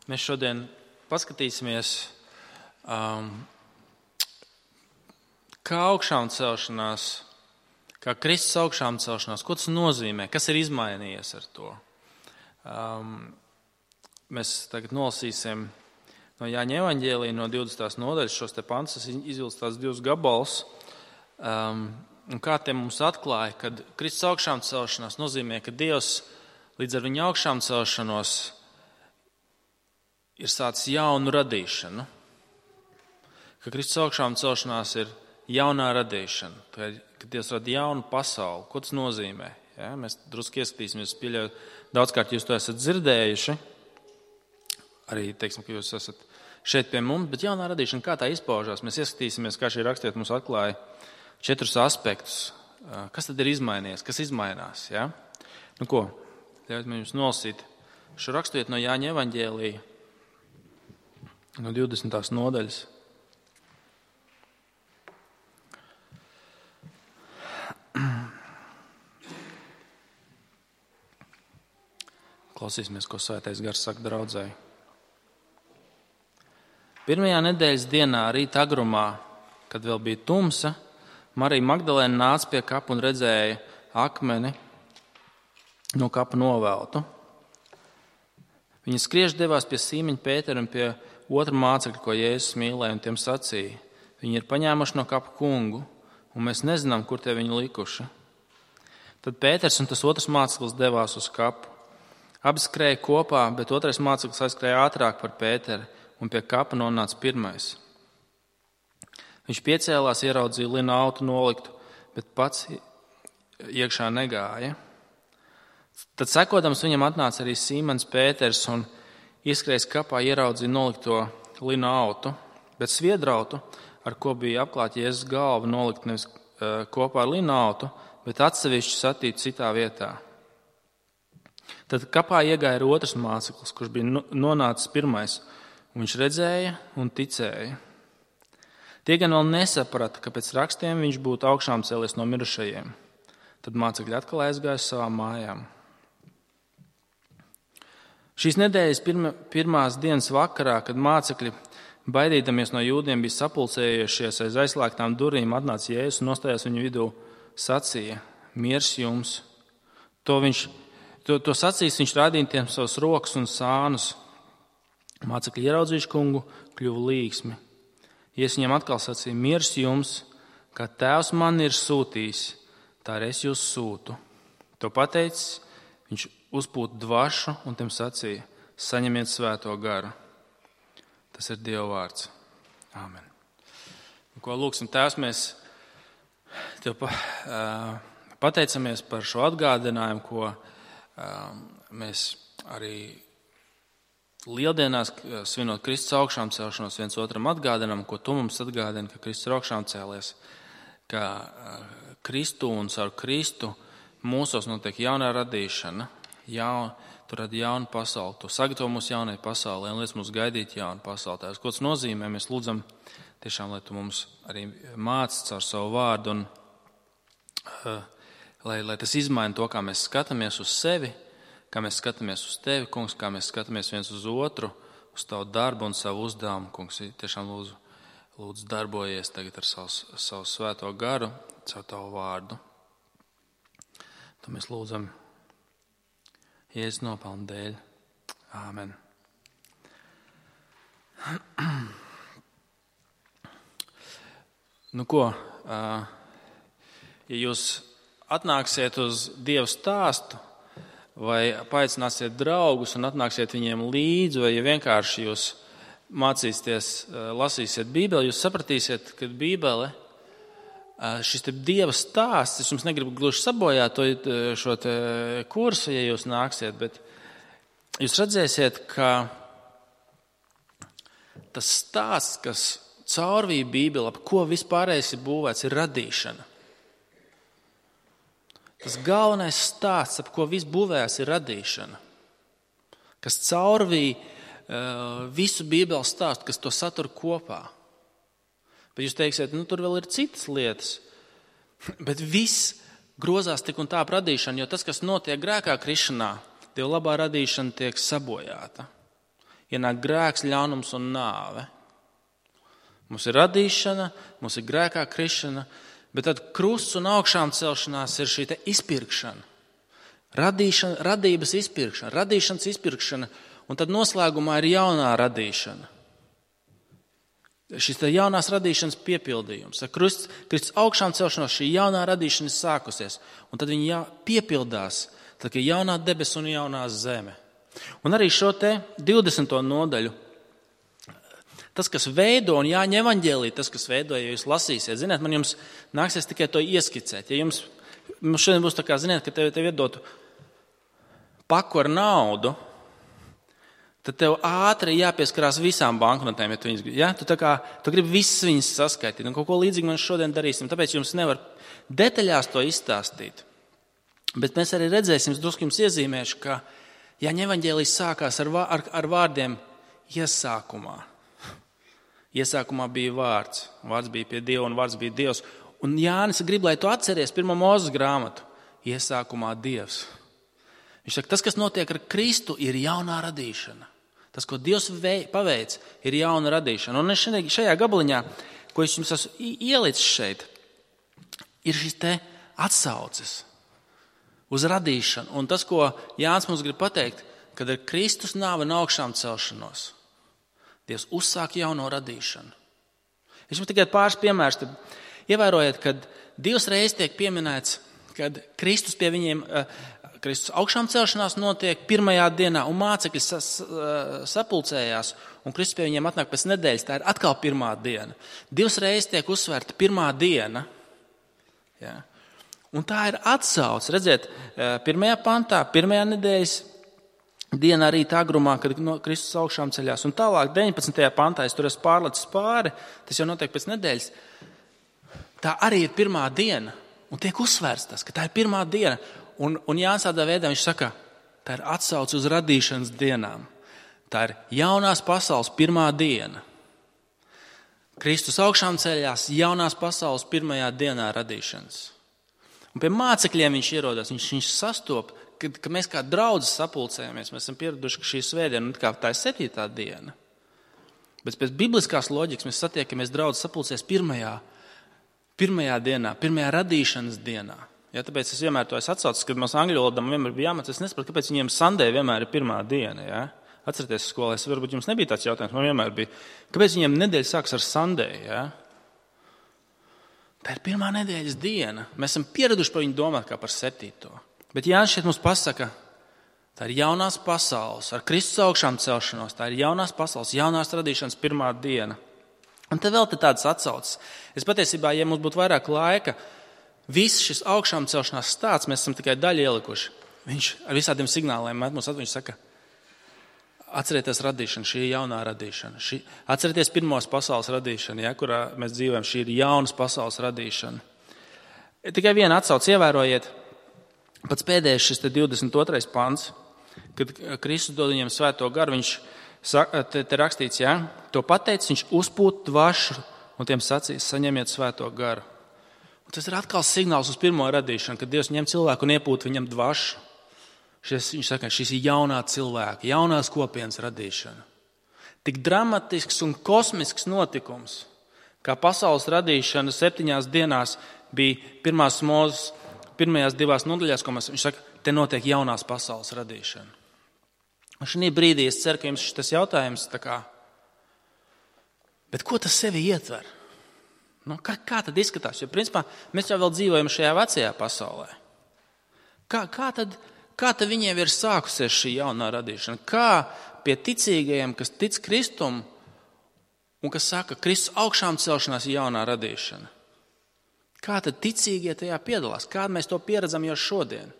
Mēs šodien paskatīsimies, kā augšām celšanās, kā Kristus augšām celšanās, ko tas nozīmē, kas ir izmainījies ar to. Mēs tagad nolasīsim no Jāņa evaņģēlija no 20. nodaļas šos te pantus, es izvilcu tās 2 gabalus, un kā tie mums atklāja, kad Kristus augšām celšanās nozīmē, ka Dievs līdz ar viņa augšām celšanos ir sācis jaunu radīšanu. Ka Kristus augšām celšanās ir jaunā radīšana, kad Dievs rada jaunu pasauli. Ko tas nozīmē? Ja, mēs drusku ieskatīsimies, pieļauju, daudzkārt jūs to esat dzirdējuši, arī, teiksim, ka jūs esat šeit pie mums, bet jaunā radīšana, kā tā izpaužās? Mēs ieskatīsimies, kā šī rakstiet mums atklāja 4 aspektus. Kas tad ir izmainījies? Kas izmainās? Ja? Nu ko, ļaujiet man jums nolasīt šo rakstiet no Jāņa evaņģēlija, no 20. nodaļas. Klausīsimies, ko Svētais Gars saka draudzēji. Pirmajā nedēļas dienā rīta agrumā, kad vēl bija tumsa, Marija Magdalēna nāca pie kapa un redzēja akmeni no kapa noveltu. Viņa skriež devās pie Sīmeņa Pētera un pie otra mācekļa, ko Jēzus mīlēja, un tiem sacīja: viņi ir paņēmuši no kapa kungu, un mēs nezinām, kur tie viņu likuši. Tad Pēters un tas otrs māceklis devās uz kapu. Abi skrēja kopā, bet otrais māceklis aizskrēja ātrāk par Pēteru, un pie kapa nonāca pirmais. Viņš piecēlās, ieraudzīja lina autu noliktu, bet pats iekšā negāja. Tad sekodams viņam atnāca arī Sīmens Pēters un ieskrējis kapā, ieraudzīja nolikto lina autu, bet sviedrautu, ar ko bija apklāta Jēzus galva, nolikt nevis kopā ar lina autu, bet atsevišķi satīt citā vietā. Tad kapā iegāja otrs māceklis, kurš bija nonācis pirmais, un viņš redzēja un ticēja. Tie gan vēl nesaprata, ka pēc rakstiem viņš būtu augšām cēlies no mirušajiem. Tad mācekļi atkal aizgāja uz savām mājām. Šīs nedēļas pirmās dienas vakarā, kad mācekļi, baidīdamies no jūdiem, bija sapulcējušies aiz aizslēgtām durvīm, atnāca Jēzus un nostājās viņu vidū, sacīja: miers jums. To sacīs, viņš rādīja tiem savus rokas un sānus. Mācekļi ieraudzījuši kungu, kļuva līgsmi. Jēzus viņiem atkal sacīja: miers jums, kā Tēvs man ir sūtījis, tā arī es jūs sūtu. To pateicis, viņš uzpūta dvašu un tiem sacīja: saņemiet svēto garu. Tas ir Dieva vārds. Āmen. Ko lūksim, Tēvs, mēs Tev pateicamies par šo atgādinājumu, ko mēs arī lieldienās, svinot Kristus augšām celšanos, viens otram atgādinām, ko Tu mums atgādini, ka Kristus ir augšām cēlies, ka Kristu un caur Kristu mūsos notiek jaunā radīšana, Tu radi jaunu pasauli, Tu sagatavo mūs jaunai pasaulē un liec mums gaidīt jaunu pasauli. Tās, ko tas nozīmē, mēs lūdzam tiešām, lai Tu mums arī māci caur savu vārdu un lai tas izmaina to, kā mēs skatāmies uz sevi, kā mēs skatāmies uz Tevi, kungs, kā mēs skatāmies viens uz otru, uz Tavu darbu un savu uzdevumu. Kungs, tiešām lūdzu darbojies tagad ar savu svēto garu, caur Tavu vārdu. To mēs lūdzam Jēzus nopelnu dēļ. Āmen. Nu ko, ja jūs atnāksiet uz Dieva stāstu vai paaicināsiet draugus un atnāksiet viņiem līdzi, vai ja vienkārši jūs mācīsieties, lasīsiet Bībeli, jūs sapratīsiet, ka Bībele, šis te Dieva stāsts, es jums negribu gluži sabojāt šo te kursu, ja jūs nāksiet, bet jūs redzēsiet, ka tas stāsts, kas caurvīja Bībeli, ap ko vispārējais ir būvēts, ir radīšana. Tas galvenais stāsts, ap ko viss būvēs, ir radīšana, kas caurvīja visu Bībeles stāstu, kas to satur kopā. Bet jūs teiksiet, tur vēl ir citas lietas, bet viss grozās tik un tā ap radīšanu, jo tas, kas notiek grēkā krišanā, Dieva labā radīšana tiek sabojāta. ienāk grēks, ļaunums un nāve. Mums ir radīšana, mums ir grēkā krišana, bet tad krusts un augšām celšanās ir šī te izpirkšana. Radības izpirkšana, radīšanas izpirkšana, un tad noslēgumā ir jaunā radīšana. Šis te jaunās radīšanas piepildījums. Ar Kristus augšām celšanos šī jaunā radīšana ir sākusies, un tad viņa piepildās, tad ir jaunā debes un jaunā zeme. Un arī šo te 20. nodaļu, tas, kas veido, un Jāņa evaņģēlī, tas, kas veido, ja jūs lasīsiet, ziniet, man jums nāksies tikai to ieskicēt. Ja jums šodien būs tā kā, ziniet, ka tev iedotu paku ar naudu, tad tev ātri jāpieskarās visām banknotēm, ja tu viņas gribi. Ja? Tu gribi visas viņas saskaitīt, un kaut ko līdzīgi mēs šodien darīsim, tāpēc jums nevar detaļās to izstāstīt. Bet mēs arī redzēsim, es drusku jums iezīmēšu, ka Jāņa evaņģēlijs sākās ar vārdiem iesākumā. Iesākumā bija vārds. Vārds bija pie Dieva un vārds bija Dievs. Un Jānis grib, lai tu atceries 1. Mūzes grāmatu. Iesākumā Dievs. Viņš saka, tas, kas notiek ar Kristu, ir jaunā radīšana. Tas, ko Dievs paveic, ir jauna radīšana. Un šajā gabaliņā, ko es jums esmu ielicis šeit, ir šis te atsauces uz radīšanu. Un tas, ko Jānis mums grib pateikt, kad ar Kristus nāvi un augšām celšanos, Dievs uzsāk jauno radīšanu. Es jums tikai pāris piemērus. Ievērojiet, kad divas reizes tiek pieminēts, kad Kristus pie viņiem, Kristus augšām celšanās notiek pirmajā dienā, un mācekļi sapulcējās, un Kristus pie viņiem atnāk pēc nedēļas. Tā ir atkal pirmā diena. Divas reizes tiek uzsvērta pirmā diena. Ja? Un tā ir atsauce. Redziet, pirmajā pantā, pirmajā nedēļas dienā rīta agrumā, kad Kristus augšām ceļās. Un tālāk, 19. pantā, es tur esmu pārlicis pāri, tas jau notiek pēc nedēļas. Tā arī ir pirmā diena. Un tiek uzsvērts tas, ka tā ir pirmā diena. Un Jānis tādā veidā viņš saka, tā ir atsauce uz radīšanas dienām. Tā ir jaunās pasaules pirmā diena. Kristus augšām ceļās jaunās pasaules pirmajā dienā radīšanas. Un pie mācekļiem viņš ierodas, viņš sastop, ka mēs kā draudzes sapulcējamies, mēs esam pieraduši, ka šī svētdiena, tā ir 7. diena. Bet pēc bibliskās loģikas mēs satiekamies draudzes sapulcēs pirmajā dienā, pirmajā radīšanas dienā. Ja, tāpēc es vienmēr to esmu atsaucis, kad mums angļu valodā vienmēr bija jāmācās. Es nesaprotu, kāpēc viņiem Sunday vienmēr ir pirmā diena. Ja? Atcerieties, skolēs, varbūt jums nebija tāds jautājums, man vienmēr bija. Kāpēc viņiem nedēļa sāks ar Sunday? Ja? Tā ir pirmā nedēļas diena. Mēs esam pieraduši par viņu domāt kā par 7. Bet Jānis šeit mums pasaka, tā ir jaunās pasaules, ar Kristus augšām celšanos, tā ir jaunās pasaules, jaunās radīšanas pirmā diena. Un te vēl te tādas atsauces. Es patiesībā, ja mums būtu vairāk laika, viss šis augšām celšanās stāsts, mēs esam tikai daļu ielikuši. Viņš ar visādiem signāliem mums atveņš saka, atcerieties radīšanu, šī ir jaunā radīšana. Atcerieties pirmos pasaules radīšanu, ja, kurā mēs dzīvojam, šī ir jaunas pasaules radīšana. Tikai viena atsauce, ievērojiet, pats pēdējais šis 22. pants, kad Kristus dod viņiem svēto garu, viņš te rakstīts, ja, to pateicis, viņš uzpūt dvašu un tiem sacīs, saņemiet svēto garu. Un tas ir atkal signāls uz pirmo radīšanu, kad Dievs ņem cilvēku un iepūt viņam dvašu. Viņš saka, šis ir jaunā cilvēka, jaunās kopienas radīšana. Tik dramatisks un kosmisks notikums, kā pasaules radīšana 7 dienās bija pirmās Mūzes pirmajās 2 nodaļās, ko viņš saka, te notiek jaunās pasaules radīšana. Un šī brīdī es ceru, ka jums šis jautājums tā kā, bet ko tas sevi ietver? Kā tad izskatās? Jo, principā, mēs jau vēl dzīvojam šajā vecajā pasaulē. Kā tad viņiem ir sākusies šī jaunā radīšana? Kā pie ticīgajiem, kas tic Kristum un kas saka, Kristus augšām celšanās ir jaunā radīšana? Kā tad ticīgie tajā piedalās? Kā mēs to pieredzam jau šodien?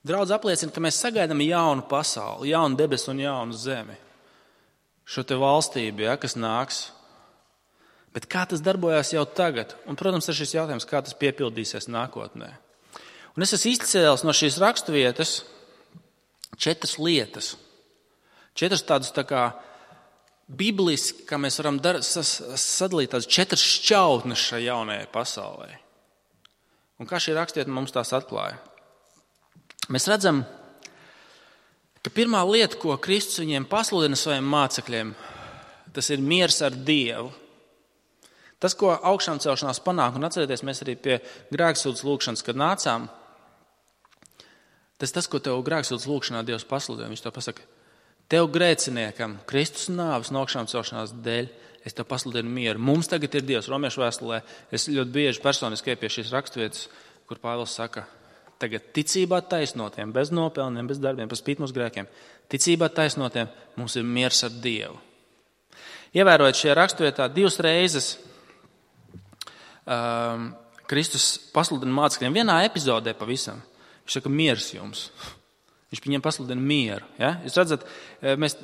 Draudz apliecina, ka mēs sagaidām jaunu pasauli, jaunu debesu un jaunu zemi. Šo te valstību, ja, kas nāks. Bet kā tas darbojās jau tagad? Un, protams, ir šis jautājums, kā tas piepildīsies nākotnē. Un es esmu izcēlis no šīs raksturvietas 4 lietas. 4 tādas tā kā bibliski, kā mēs varam sadalīt tādas 4 šķautnes šai jaunajai pasaulē. Un kā šī rakstvieta mums tās atklāja? Mēs redzam, ka pirmā lieta, ko Kristus viņiem pasludina saviem mācekļiem, tas ir miers ar Dievu. Tas, ko augšām celšanās panāk, un atcerieties, mēs arī pie grēksūdzes lūgšanas, kad nācām, tas, ko tev grēksūdzes lūgšanā Dievs pasludina. Viņš to pasaka, tev grēciniekam, Kristus nāves un augšām celšanās dēļ, es tev pasludinu mieru. Mums tagad ir Dievs. Romiešu vēstulē es ļoti bieži personiski pie šīs raksturvietas, kur Pāvils saka, tagad ticībā taisnotiem, bez nopelniem, bez darbiem, par spīti mūsu grēkiem, ticībā taisnotiem mums ir miers ar Dievu. Ievērojot šajā raksturvietā 2 reizes Kristus pasludina mācekļiem vienā epizodē pavisam. Viņš saka, miers jums. Viņš viņiem pasludina mieru. Ja? Jūs redzat, mēs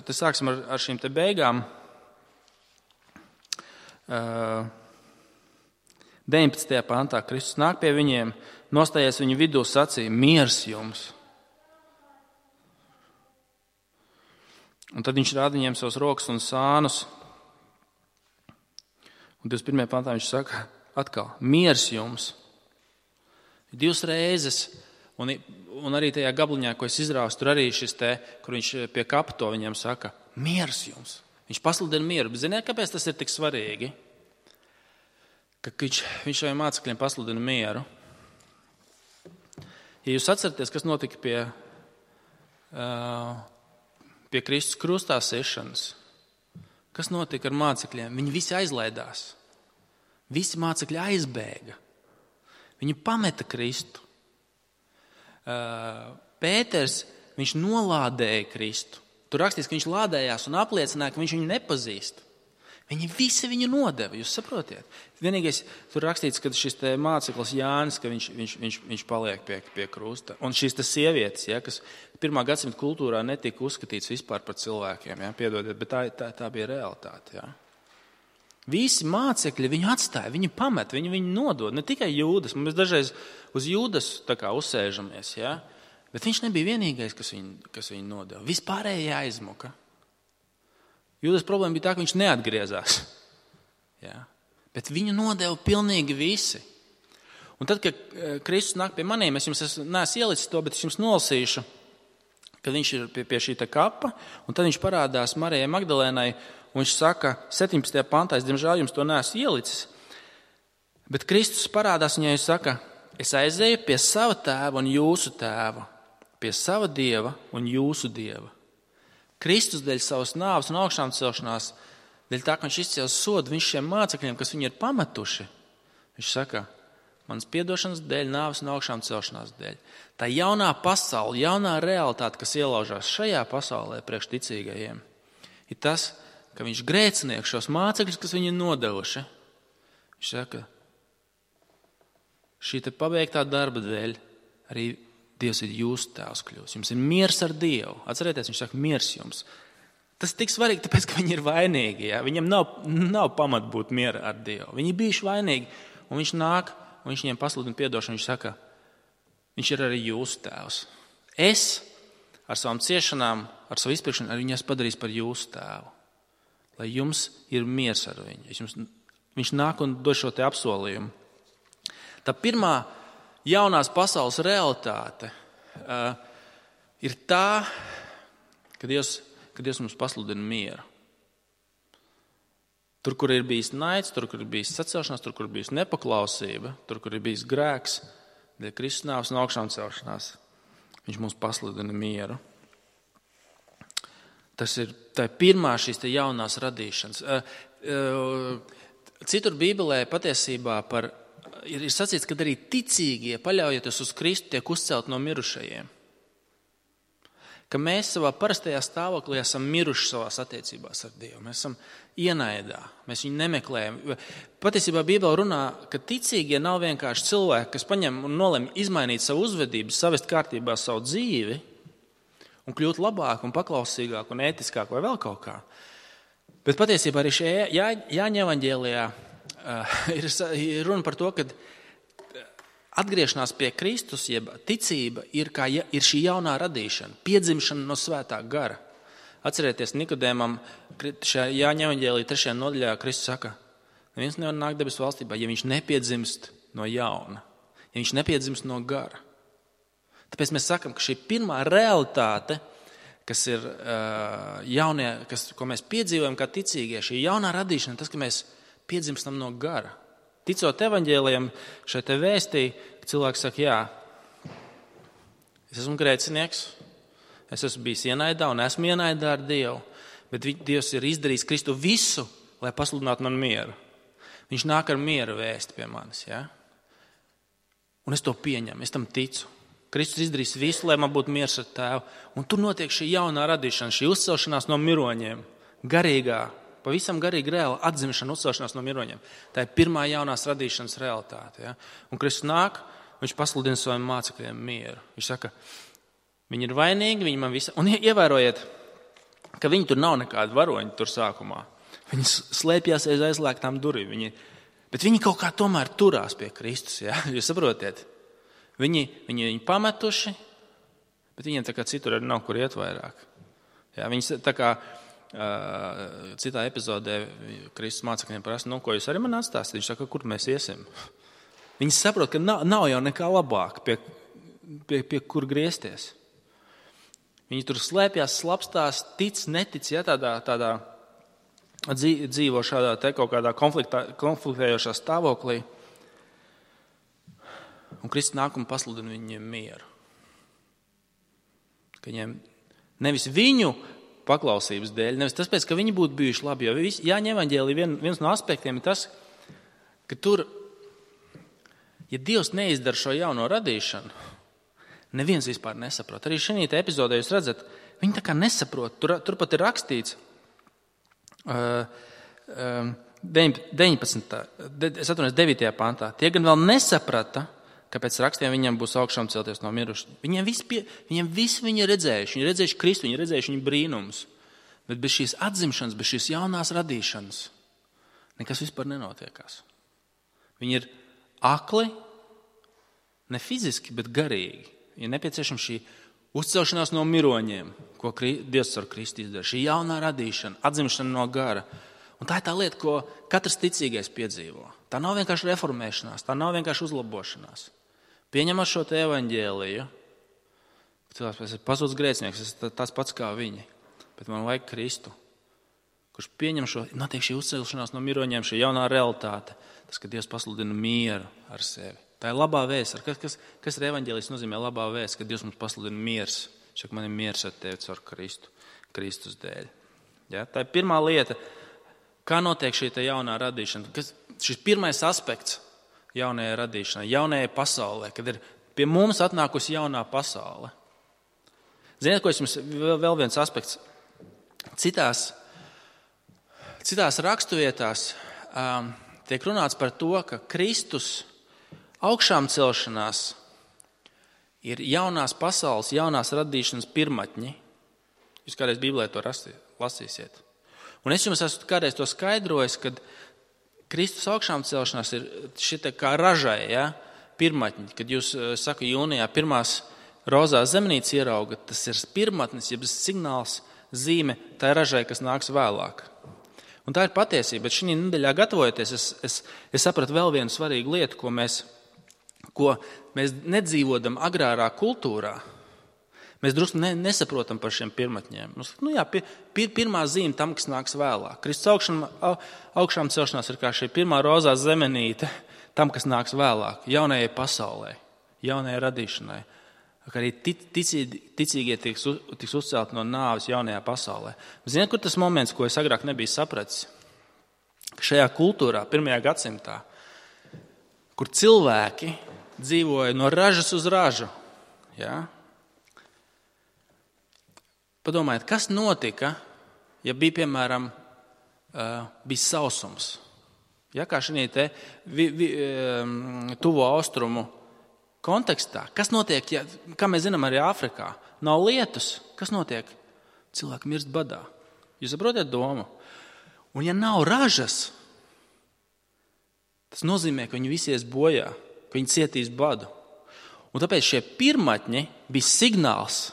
te sāksim ar šīm te beigām. 19. pantā Kristus nāk pie viņiem, nostājies viņu vidū, sacīja, miers jums. Un tad viņš rāda viņiem savus rokas un sānus. Un 21. pantā viņš saka, atkal, miers jums. 2 reizes, un arī tajā gabliņā, ko es izrāvu, tur arī šis te, kur viņš pie kapa to viņiem saka, miers jums. Viņš pasludina mieru. Bet ziniet, kāpēc tas ir tik svarīgi? Ka viņš saviem mācekļiem pasludina mieru. Ja jūs atceraties, kas notika pie Kristus krustā siešanas, kas notika ar mācekļiem? Viņi visi aizlaidās. Visi mācekļi aizbēga. Viņi pameta Kristu. Pēters, viņš nolādēja Kristu. Tur rakstīts, ka viņš lādējās un apliecināja, ka viņš viņu nepazīst. Viņi visi viņu nodeva, jūs saprotiet? Vienīgais, tur rakstīts, ka šis te māceklis Jānis, ka viņš paliek pie krusta. Un šīs te sievietes, ja, kas 1. gadsimta kultūrā netika uzskatīts vispār par cilvēkiem, ja, piedodiet, bet tā bija realitāte. Ja. Visi mācekļi viņu atstāja, viņu pamet, viņu nodod. Ne tikai Jūdas, mēs dažreiz uz Jūdas tā kā uzsēžamies, ja. Bet viņš nebija vienīgais, kas viņu nodeva. Vispārējie aizmuka. Jūdas problēma bija tā, ka viņš neatgriezās. Ja? Bet viņu nodeva pilnīgi visi. Un tad, kad Kristus nāk pie maniem, es jums neesmu ielicis to, bet es jums nolasīšu, kad viņš ir pie šī kapa, un tad viņš parādās Marijai Magdalēnai, un viņš saka, 17. pantā, es diemžēl jums to neesmu ielicis, bet Kristus parādās viņai un saka, es aizēju pie sava tēva un jūsu tēva, pie sava Dieva un jūsu Dieva. Kristus dēļ savas nāves un augšām celšanās, dēļ tā, ka viņš izcēla sodu viņš šiem mācekļiem, kas viņu ir pametuši, viņš saka, manas piedošanas dēļ, nāves un augšām celšanās dēļ. Tā jaunā pasaule, jaunā realitāte, kas ielaužās šajā pasaulē priekš ticīgajiem, ir tas, ka viņš grēcinieks šos mācekļus, kas viņu nodevuši, viņš saka, šī te pabeigtā darba dēļ arī Dievs ir jūsu tēvs kļūs. Jums ir miers ar Dievu. Atcerieties, viņš saka, miers jums. Tas ir tik svarīgi, tāpēc, ka viņi ir vainīgi. Ja? Viņam nav pamat būt miera ar Dievu. Viņi bijuši vainīgi, un viņš nāk, un viņš viņiem pasludina piedošanu. Viņš saka, viņš ir arī jūsu tēvs. Es ar savām ciešanām, ar savu izpirkšanu, arī viņu esmu padarījis par jūsu tēvu. Lai jums ir miers ar viņu. Viņš nāk un dod šo te apsolījumu. Tā pirmā jaunās pasaules realitāte ir tā, ka Dievs mums pasludina mieru. Tur, kur ir bijis naids, tur, kur ir bijis sacelšanās, tur, kur ir bijis nepaklausība, tur, kur ir bijis grēks, dēļ Kristus nāves un augšām celšanās, viņš mums pasludina mieru. Tā ir pirmā šīs te jaunās radīšanas. Citur Bībelē patiesībā ir sacīts, ka arī ticīgie, paļaujoties uz Kristu, tiek uzcelt no mirušajiem. Ka mēs savā parastajā stāvoklī esam miruši savās attiecībās ar Dievu. Mēs esam ienaidā, mēs viņu nemeklējam. Patiesībā Bībelē runā, ka ticīgie nav vienkārši cilvēki, kas paņem un nolemj izmainīt savu uzvedību, savest kārtībā savu dzīvi un kļūt labāk un paklausīgāk un ētiskāk vai vēl kaut kā. Bet patiesībā arī šajā Jāņa evaņģēlijā ir runa par to, ka atgriešanās pie Kristus, jeb ticība ir šī jaunā radīšana, piedzimšana no svētā gara. Atcerieties, Nikodēmam šajā Jāņa evaņģēlijā 3. nodaļā Kristus saka, neviens nevar nākt debesu valstībā, ja viņš nepiedzimst no jauna, ja viņš nepiedzimst no gara. Tāpēc mēs sakam, ka šī pirmā realitāte kas ir jaunie, ko mēs piedzīvojam kā ticīgie, šī jaunā radīšana, tas, ka mēs piedzimstam no gara. Ticot evaņģēlijam, šai te vēstī, cilvēks saka, jā, es esmu grēcinieks, es esmu bijis ienaidā un esmu ienaidā ar Dievu, bet Dievs ir izdarījis Kristu visu, lai pasludinātu man mieru. Viņš nāk ar miera vēsti pie manis, ja? Un es to pieņemu, es tam ticu. Kristus izdarīs visu, lai man būtu miers ar Tēvu. Un tur notiek šī jaunā radīšana, šī uzcelšanās no miroņiem, garīgā, pavisam garīga reāla atzimšana, uzcelšanās no miroņiem. Tā ir pirmā jaunās radīšanas realitāte. Ja? Un Kristus nāk, viņš pasludina saviem mācekļiem mieru. Viņš saka, viņi ir vainīgi, viņi man visi... Un ievērojiet, ka viņi tur nav nekādi varoņi tur sākumā. Viņi slēpjās aiz aizslēgtām durvīm. Bet viņi kaut kā tomēr turās pie Kristus. Ja? Jūs saprotiet? Viņi pametuši, bet viņiem tā kā citur arī nav kur iet vairāk. Ja? Viņi tā kā citā epizodē Kristus mācekļiem prasa, ko jūs arī man atstāsiet? Viņš saka, kur mēs iesim? Viņi saprot, ka nav jau nekā labāk, pie kur griezties. Viņi tur slēpjās, slapstās, tic, netic, ja, tādā dzīvo šādā te kaut kādā konfliktējošā stāvoklī. Un Kristus nāk un pasludina viņiem mieru. Ka viņiem nevis viņu paklausības dēļ, nevis tas pēc, ka viņi būtu bijuši labi, jo Jāņa evaņģēlija viens no aspektiem ir tas, ka tur, ja Dievs neizdara šo jauno radīšanu, neviens vispār nesaprot. Arī šī epizodē jūs redzat, viņi tā kā nesaprot. Tur pat ir rakstīts 9. pantā. Tie gan vēl nesaprata, kāpēc rakstiem viņam būs augšām celties no mirušajiem. Viņiem visi viņi ir redzējuši. Viņi ir redzējuši Kristu, viņi ir redzējuši viņa brīnumus. Bet bez šīs atzimšanas, bez šīs jaunās radīšanas nekas vispār nenotiekās. Viņi ir akli, ne fiziski, bet garīgi. Ir nepieciešama šī uzcelšanās no miroņiem, ko Dievs ar Kristu izdara. Šī jaunā radīšana, atzimšana no gara. Un tā ir tā lieta, ko katrs ticīgais piedzīvo. Tā nav vienkārši reformēšanās, tā nav vienkārši uzlabošanās. Pieņemot šo te evaņģēliju, cilvēks, es esmu pazudis grēcinieks, es esmu tāds pats kā viņi, bet man vajag Kristu, kurš pieņem šo, notiek šī uzcelšanās no miroņiem, šī jaunā realitāte, tas, ka Dievs pasludina mieru ar sevi. Tā ir labā vēsts. Kas ir evaņģēlijs nozīmē labā vēsts, ka Dievs mums pasludina miers. Šak man ir miers ar tevi caur Kristus dēļ. Ja? Tā ir pirmā lieta, kā notiek šī te jaunā radīšana. Šis pirmais aspekts jaunajai radīšanai, jaunajai pasaulē, kad ir pie mums atnākusi jaunā pasaule. Ziniet, ko jums vēl viens aspekts? Citās raksturvietās tiek runāts par to, ka Kristus augšām celšanās ir jaunās pasaules, jaunās radīšanas pirmatņi. Jūs kādreiz Bībelē to lasīsiet. Un es jums esmu kādreiz to skaidrojis, kad Kristus augšām celšanās ir šita kā ražai, ja, pirmatņi. Kad jūs, saku, jūnijā pirmās rozās zemenītes ieraugat, tas ir pirmatnis, jeb signāls, zīme tā ražai, kas nāks vēlāk. Un tā ir patiesība, bet šī nedēļā gatavojoties, es sapratu vēl vienu svarīgu lietu, ko mēs nedzīvodam agrārā kultūrā. Mēs drusku nesaprotam par šiem pirmatņiem. Pirmā zīme tam, kas nāks vēlāk. Kristus augšām celšanās ir kā šī pirmā rozā zemenīte tam, kas nāks vēlāk, jaunajai pasaulē, jaunajai radīšanai. Kā arī ticīgie tiks uzcelti no nāves jaunajā pasaulē. Ziniet, kur tas moments, ko es agrāk nebiju sapratis? Ka šajā kultūrā, 1. gadsimtā, kur cilvēki dzīvoja no ražas uz ražu, ja? Padomājiet, kas notika, ja bija, piemēram, bija sausums? Ja, kā šī te tuvo austrumu kontekstā, kas notiek, ja, kā mēs zinām arī Āfrikā, nav lietus, kas notiek? Cilvēki mirst badā. Jūs saprotat domu? Un ja nav ražas, tas nozīmē, ka viņi visi ies bojā, ka viņi cietīs badu. Un tāpēc šie pirmatņi bija signāls,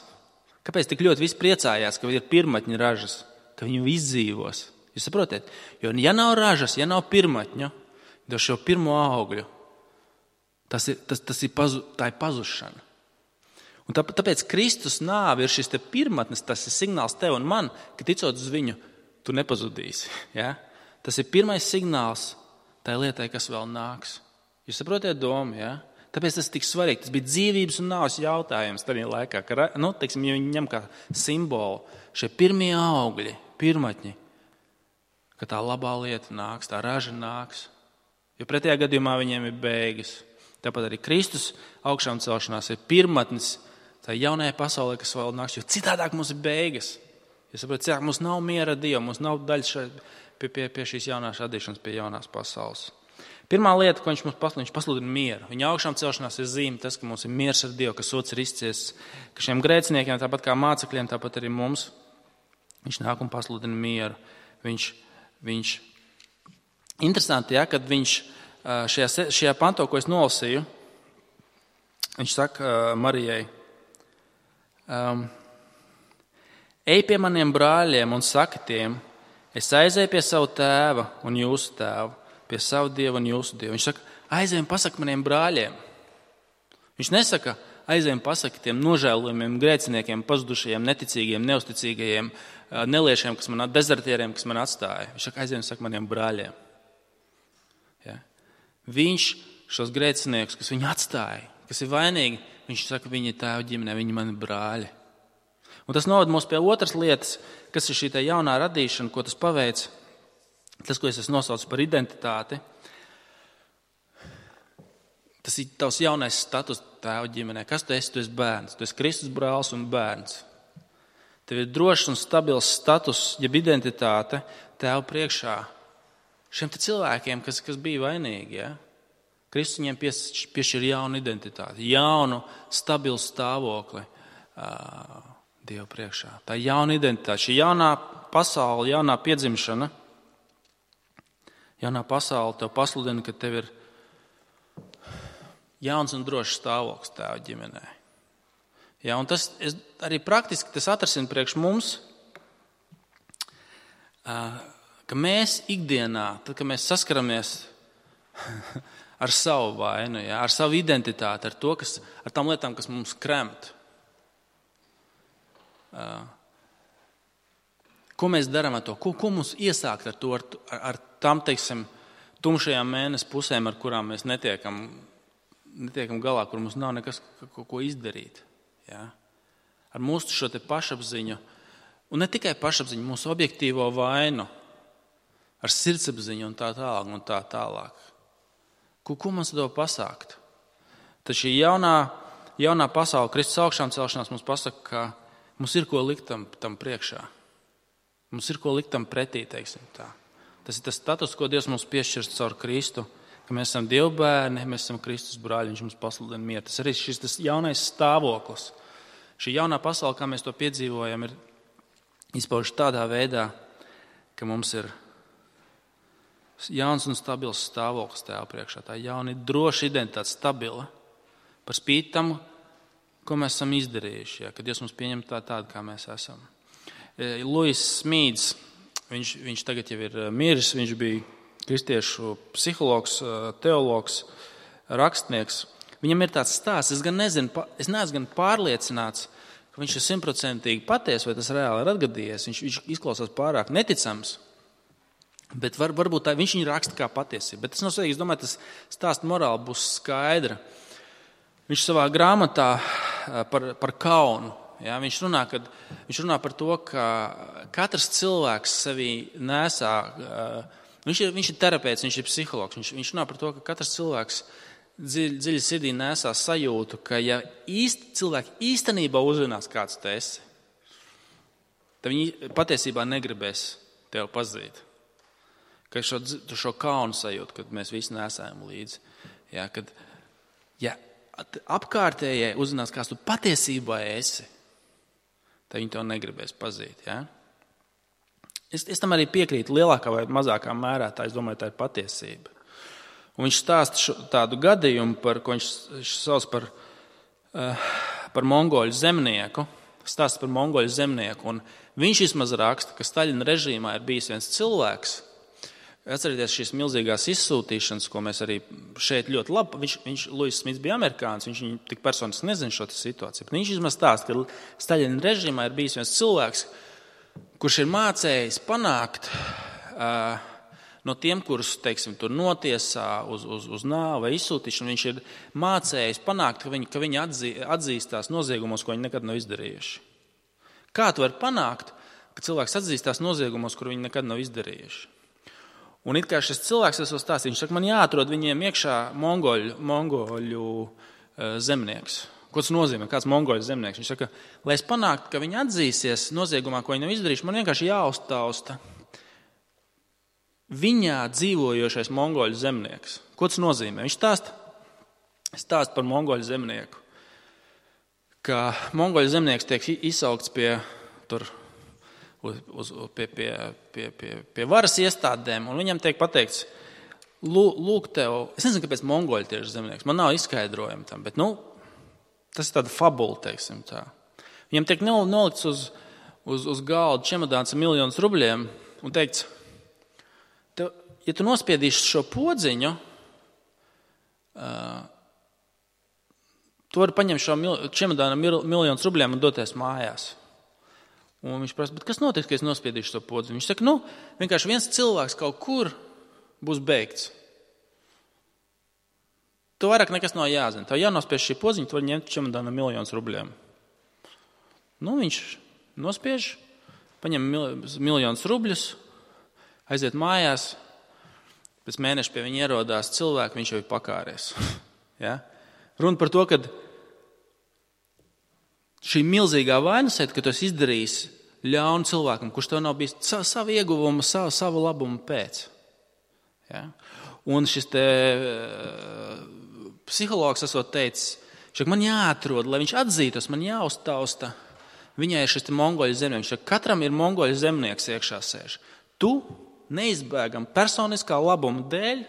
kāpēc tik ļoti visi priecājās, ka ir pirmatņi ražas, ka viņi izdzīvos. Jūs saprotat? Jo ja nav ražas, ja nav pirmatņu, tad šo pirmo augļu, tā ir pazušana. Un tāpēc Kristus nāve ir šis te pirmatnes, tas ir signāls tev un man, ka ticot uz viņu, tu nepazudīsi. Ja? Tas ir pirmais signāls tai lietai, kas vēl nāks. Jūs saprotiet domu, ja? Tāpēc tas ir tik svarīgi. Tas bija dzīvības un nāves jautājums tajā laikā, ka, teiksim, ja viņi ņem kā simbolu šie pirmie augļi, pirmatņi, ka tā labā lieta nāks, tā raža nāks. Jo pretējā gadījumā viņiem ir beigas. Tāpat arī Kristus augšām celšanās ir pirmatnis tā jaunajā pasaulē, kas vēl nāks, jo citādāk mums ir beigas. Ja saprotat, citādāk mums nav miera ar Dievu, mums nav daļa pie šīs jaunās radīšanas, pie jaunās pasaules. Pirmā lieta, ko viņš pasludina mieru. Viņa augšām celšanās ir zīme tas, ka mums ir miers ar Dievu, ka sots ir izciests, ka šiem grēciniekiem, tāpat kā mācekļiem, tāpat arī mums, viņš nāk un pasludina mieru. Viņš interesanti, ja, kad viņš šajā pantā, ko es nolasīju, viņš saka Marijai, ej pie maniem brāļiem un saki tiem, es aizēju pie savu tēva un jūsu tēvu, pie savu Dievu un jūsu Dievu. Viņš saka, aizēju un pasaki maniem brāļiem. Viņš nesaka, aizēju un pasaki tiem nožēlojumiem, grēciniekiem, pazudušajiem, neticīgiem, neusticīgajiem, neliešiem, dezertieriem, kas man atstāja. Viņš saka, aizēju un saka maniem brāļiem. Ja? Viņš šos grēciniekus, kas viņu atstāja, kas ir vainīgi, viņš saka, viņi ir tēva ģimenē, viņi mani brāļi. Un tas novada mūs pie otras lietas, kas ir šī tā jaunā radīšana, ko tas paveic. Tas, ko es esmu nosaucis par identitāti, tas ir tavs jaunais status tēva ģimenē. Kas tu esi? Tu esi bērns. Tu esi Kristus brālis un bērns. Tev ir drošs un stabils status, jeb identitāte tēva priekšā. Šiem te cilvēkiem, kas bija vainīgi, ja? Kristus viņiem piešķir jaunu identitāti, jaunu, stabilu stāvokli Dievu priekšā. Tā ir jauna identitāte, šī jaunā pasaule, jaunā piedzimšana, jaunā pasaule tev pasludina, ka tev ir jauns un drošs stāvoklis tēva ģimenē. Ja, un tas arī praktiski tas atrasina priekš mums, ka mēs ikdienā, tad, kad mēs saskaramies ar savu vainu, ja, ar savu identitāti, ar tām lietām, kas mums kremt, ko mēs darām ar to? Ko mums iesākt ar to, ar tām, teiksim, tumšajām mēnesi pusēm, ar kurām mēs netiekam galā, kur mums nav nekas, ko izdarīt. Ja? Ar mūsu šo te pašapziņu, un ne tikai pašapziņu, mūsu objektīvo vainu, ar sirdsapziņu un tā tālāk. Ko mums to pasākt? Tad šī jaunā pasaule, Kristus augšām celšanās mums pasaka, ka mums ir ko likt tam priekšā. Mums ir ko likt tam pretī, teiksim tā. Tas ir tas status, ko Dievs mums piešķirs caur Kristu, ka mēs esam Dieva bērni, mēs esam Kristus brāļi, viņš mums pasludina mieru. Tas arī šis jaunais stāvoklis. Šī jaunā pasaule, kā mēs to piedzīvojam, ir izpaužas tādā veidā, ka mums ir jauns un stabils stāvoklis Tēva priekšā. Tā jauna droša identitāte, stabila, par spīti tam, ko mēs esam izdarījuši, ja, kad Dievs mums pieņem tādu, kā mēs esam. Luis Smīds, viņš tagad jau ir miris, viņš bija kristiešu psihologs, teologs, rakstnieks. Viņam ir tāds stāsts, es neesmu gan pārliecināts, ka viņš ir 100% patiess, vai tas reāli ir atgadījies. Viņš izklausās pārāk neticams, bet varbūt viņš viņu raksta kā patiesība. Bet tas nav svarīgi, es domāju, tas stāsta morāli būs skaidra. Viņš savā grāmatā par kaunu, ja, viņš runā par to, ka katrs cilvēks sevī nesā, viņš ir terapeits, viņš ir psihologs, viņš runā par to, ka katrs cilvēks dziļi sirdī nesā sajūtu, ka ja cilvēki īstenībā uzzinās, kāds tu esi, tad viņi patiesībā negribēs tevi pazīt. Ka šo kaunu sajūtu, kad mēs visi nesājam līdzi. Ja, kad apkārtējie uzzinās, kāds tu patiesībā esi, tad viņi to negribēs pazīt. Ja? Es tam arī piekrītu lielākā vai mazākā mērā, es domāju, tā ir patiesība. Un viņš stāsta tādu gadījumu, ko viņš sauc par mongoļu zemnieku. Stāsta par mongoļu zemnieku. Un viņš vismaz raksta, ka Staļina režīmā ir bijis viens cilvēks, atcerieties šīs milzīgās izsūtīšanas, ko mēs arī šeit ļoti labi, Luis Smits bija amerikānis, viņš viņu tik personiski nezina šo situāciju, bet viņš vismaz stāsta, ka Staļina režīmā ir bijis viens cilvēks, kurš ir mācējis panākt no tiem, kurus, teiksim, tur notiesā uz nāvi vai izsūtīšanu, viņš ir mācējis panākt, ka viņi atzīstās noziegumos, ko viņi nekad nav izdarījuši. Kā tu vari panākt, ka cilvēks atzīstās noziegumos, kur viņi nekad nav izdarījuši? Un it kā šis cilvēks esmu stāstījis, viņš saka, man jāatrod viņiem iekšā mongoļu zemnieks. Ko tas nozīmē? Kāds mongoļu zemnieks? Viņš saka, lai es panāktu, ka viņi atzīsies noziegumā, ko viņi nav izdarījuši, man vienkārši jāuztausta viņā dzīvojošais mongoļu zemnieks. Ko tas nozīmē? Viņš stāsta par mongoļu zemnieku, ka mongoļu zemnieks tiek izsaukts pie varas iestādēm, un viņam tiek pateikts, lūk tev, es nezinu, kāpēc mongoļi tieši zemnieks, man nav izskaidrojumi tam, bet, tas ir tāda fabula, teiksim tā. Viņam tiek nolikts uz galda čemodāns ar miljonus rubļiem un teikts, ja tu nospiedīsi šo podziņu, tu vari paņemt šo čemodānu miljonus rubļiem un doties mājās. Un viņš prasa, bet kas notiks, ka es nospiedīšu šo podziņu? Viņš saka, vienkārši viens cilvēks kaut kur būs beigts. Tu vairāk nekas nav jāzina. Tev jānospiež šī podziņa, tu vari ņemt čemodānu miljonus rubļiem. Viņš nospiež, paņem miljonus rubļus, aiziet mājās, pēc mēneša pie viņa ierodās cilvēki, viņš jau ir pakāries. Ja? Runa par to, ka šī milzīgā vainasēta, ka tu esi izdarījis ļaunu cilvēkam, kurš tev nav bijis savu ieguvumu, savu labumu pēc. Ja? Un šis psihologs esot teicis, man jāatrod, lai viņš atzītos, man jāuztausta. Viņai ir šis mongoļu zemnieks. Katram ir mongoļu zemnieks iekšā sēž. Tu neizbēgam personiskā labuma dēļ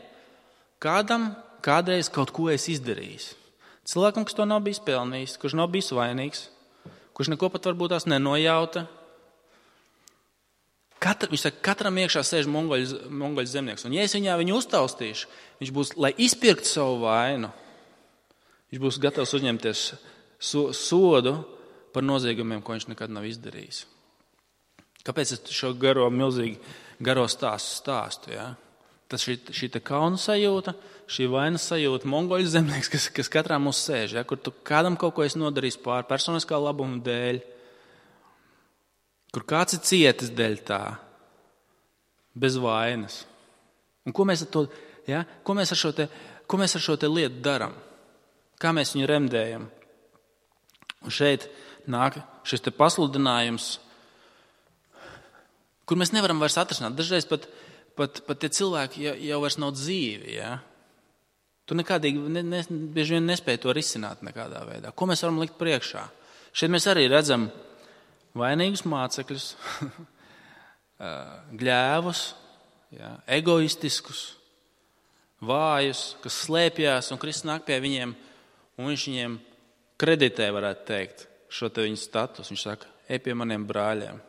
kādam kādreiz kaut ko esi izdarījis. Cilvēkam, kas to nav bijis pelnījis, kurš nav bijis vainīgs, kurš neko pat varbūt tās nenojauta. Viņš saka, katram iekšā sēž mongoļu zemnieks. Un ja es viņu uztaustīšu, viņš būs, lai izpirktu savu vainu, viņš būs gatavs uzņemties sodu par noziegumiem, ko viņš nekad nav izdarījis. Kāpēc es šo garo stāstu? Ja? Tas šī kauna sajūta, šī vainas sajūta, mongoļu zemnieks, kas katrā mums sēž, ja? Kur tu kādam kaut ko esi nodarījis pār personiskā labuma dēļ, kur kāds ir cietis dēļ tā, bez vainas. Un ko mēs ar šo te lietu darām? Kā mēs viņu remdējam? Un šeit nāk šis te pasludinājums, kur mēs nevaram vairs atrisināt. Dažreiz pat tie cilvēki jau vairs nav dzīvi. Ja? Tu nekādīgi bieži vien nespēji to risināt nekādā veidā. Ko mēs varam likt priekšā? Šeit mēs arī redzam vainīgus mācekļus, gļēvus, ja? Egoistiskus, vājus, kas slēpjās, un Kristus nāk pie viņiem, un viņš viņiem kreditē, varētu teikt, šo te viņu status. Viņš saka, ej pie maniem brāļiem.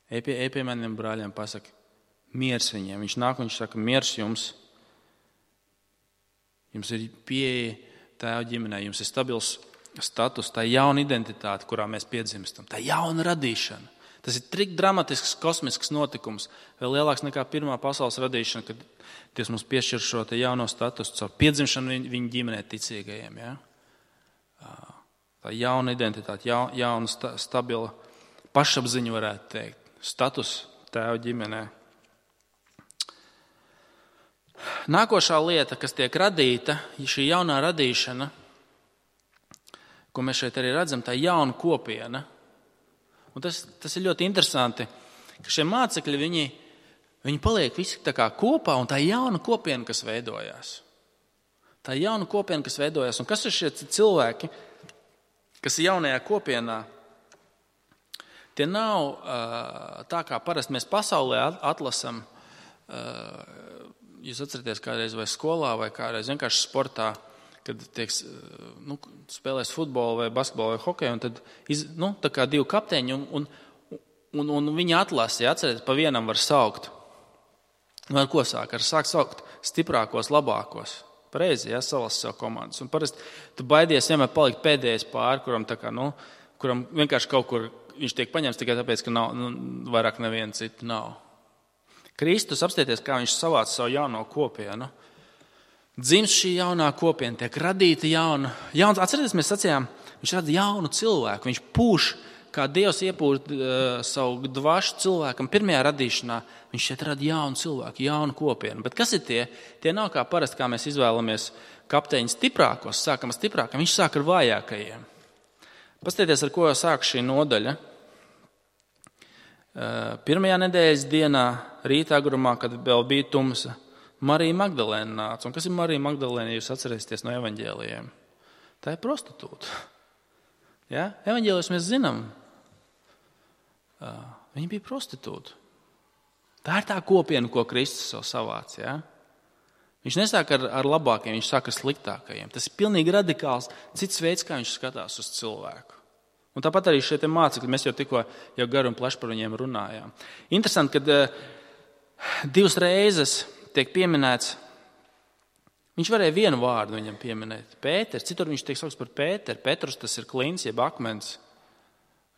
Ej pie maniem brāļiem, pasaka, miers viņiem. Viņš nāk un viņš saka, miers jums. Jums ir pieeja tēva ģimenē, jums ir stabils status, tā jauna identitāte, kurā mēs piedzimstam, tā jauna radīšana. Tas ir tik dramatisks, kosmisks notikums, vēl lielāks nekā pirmā pasaules radīšana, kad Dievs mums piešķir šo te jauno statusu caur piedzimšanu viņa ģimenē ticīgajiem. Ja? Tā jauna identitāte, jauna stabila pašapziņa, varētu teikt, status tēva ģimenē. Nākošā lieta, kas tiek radīta, šī jaunā radīšana, ko mēs šeit arī redzam, tā jauna kopiena. Un tas ir ļoti interesanti, ka šie mācekļi, viņi paliek visi tā kā kopā, un tā jauna kopiena, kas veidojās. Tā jauna kopiena, kas veidojās. Un kas ir šie cilvēki, kas ir jaunajā kopienā? Tie nav tā, kā parasti mēs pasaulē atlasam. Jūs atceraties kādreiz vai skolā, vai kādreiz vienkārši sportā, kad spēlēs futbolu vai basketbolu vai hokeju, un tad tā kā divi kapteiņi, un viņi atlasa, ja atcerieties, pa vienam var saukt. Un ar ko sāk? Sāk saukt stiprākos, labākos. Pareizi, ja, salas sev komandas. Un parasti tu baidies vienmēr palikt pēdējais pāri, kuram vienkārši kaut kur viņš tiek paņemts tikai tāpēc, ka nav, vairāk neviena cita nav. Kristus, apstieties, kā viņš savāca savu jauno kopienu. Dzimst šī jaunā kopiena, tiek radīta jauna. Atcerieties, mēs sacījām, viņš rada jaunu cilvēku. Viņš pūš, kā Dievs iepūš savu dvašu cilvēkam pirmajā radīšanā. Viņš šeit rada jaunu cilvēku, jaunu kopienu. Bet kas ir tie? Tie nav kā parasti, kā mēs izvēlamies kapteiņus stiprākos. Sākam ar stiprākiem, viņš sāk ar vājākajiem. Pastieties, ar ko sāk šī nodaļa. Pirmajā nedēļas dienā, rīta agrumā, kad vēl bija tumsa, Marija Magdalēna nāca. Un kas ir Marija Magdalēna, ja jūs atcerēsieties no evaņģēlijiem? Tā ir prostitūta. Ja? Evaņģēlijos mēs zinām. Viņa bija prostitūta. Tā ir tā kopiena, ko Kristus sev savāca. Ja? Viņš nesāk ar labākajiem, viņš sāk ar sliktākajiem. Tas ir pilnīgi radikāls cits veids, kā viņš skatās uz cilvēku. Un tāpat arī šie mācekļi, mēs jau tikko garu un plaši par viņiem runājām. Interesanti, ka 2 reizes tiek pieminēts, viņš varēja vienu vārdu viņam pieminēt, Pēters, citur viņš tiek saukts par Pēteru. Petrus, tas ir klins, jeb akmens,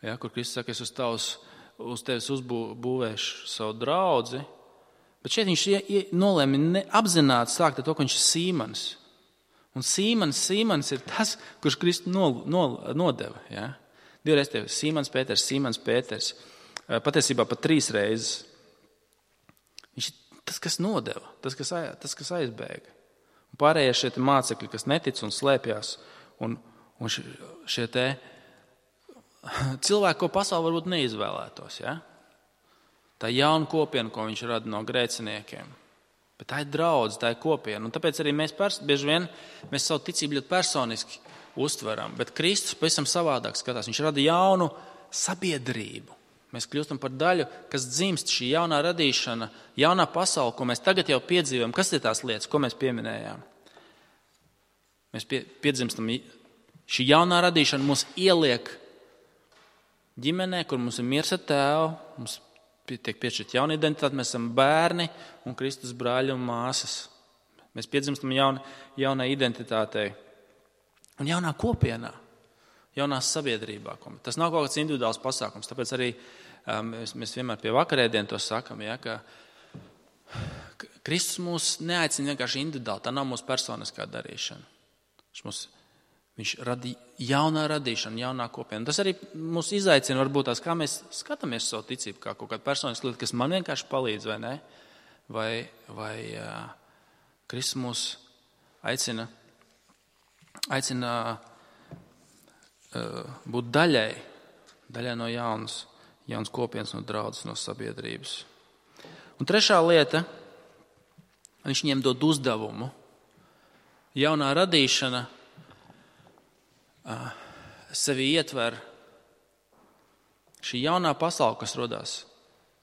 ja, kur Kristus saka, es uz tevis uzbūvēšu savu draudzi. Bet šeit viņš nolēma apzināti sākt ar to, ka viņš ir Sīmanis. Un Sīmanis ir tas, kurš Kristu nodeva, ja. 2 reizes tev Sīmans Pēters. Patiesībā pat 3 reizes. Viņš ir tas, kas nodeva, tas, kas aizbēga. Un pārējie šie mācekļi, kas netic un slēpjas, un šie cilvēki, ko pasaule varbūt neizvēlētos. Ja? Tā ir jauna kopiena, ko viņš rada no grēciniekiem. Bet tā ir draudze, tā ir kopiena. Un tāpēc arī mēs bieži vien savu ticību ļoti personiski uztveram, bet Kristus pavisam savādāk skatās. Viņš rada jaunu sabiedrību. Mēs kļūstam par daļu, kas dzimst šī jaunā radīšana, jaunā pasaule, ko mēs tagad jau piedzīvojam. Kas ir tās lietas, ko mēs pieminējām? Mēs piedzimstam, šī jaunā radīšana mūs ieliek ģimenē, kur mums ir miers ar tēvu, mums tiek piešķirta jauna identitāte, mēs esam bērni un Kristus brāļi un māsas. Mēs piedzimstam jaunai identitātei. Un jaunā kopienā, jaunā sabiedrībā. Tas nav kaut kāds individuāls pasākums. Tāpēc arī mēs vienmēr pie vakarēdienu to sakam, ja, ka Kristus mūs neaicina vienkārši individuāli. Tā nav mūsu personiskā darīšana. Viņš rada jaunā radīšana, jaunā kopiena. Tas arī mūs izaicina varbūt tās, kā mēs skatāmies savu ticību, kā kaut kāda personiska lieta, kas man vienkārši palīdz, vai ne? Vai Kristus mūs aicina būt daļai no jaunas kopienas, no draudzes, no sabiedrības. Un trešā lieta, viņš viņiem dod uzdevumu. Jaunā radīšana sevi ietver šī jaunā pasaule, kas rodās,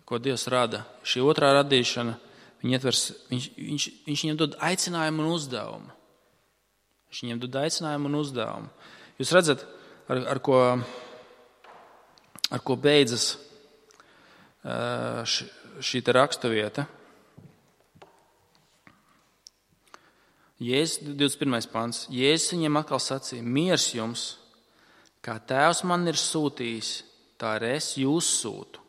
ko Dievs rada. Šī otrā radīšana, viņš viņiem dod aicinājumu un uzdevumu. Viņš viņiem dod aicinājumu un uzdevumu. Jūs redzat, ar ko beidzas šī raksturvieta. Jēzus 21. pants. Jēzus viņiem atkal sacīja: miers jums, kā Tēvs man ir sūtījis, tā arī es jūs sūtu.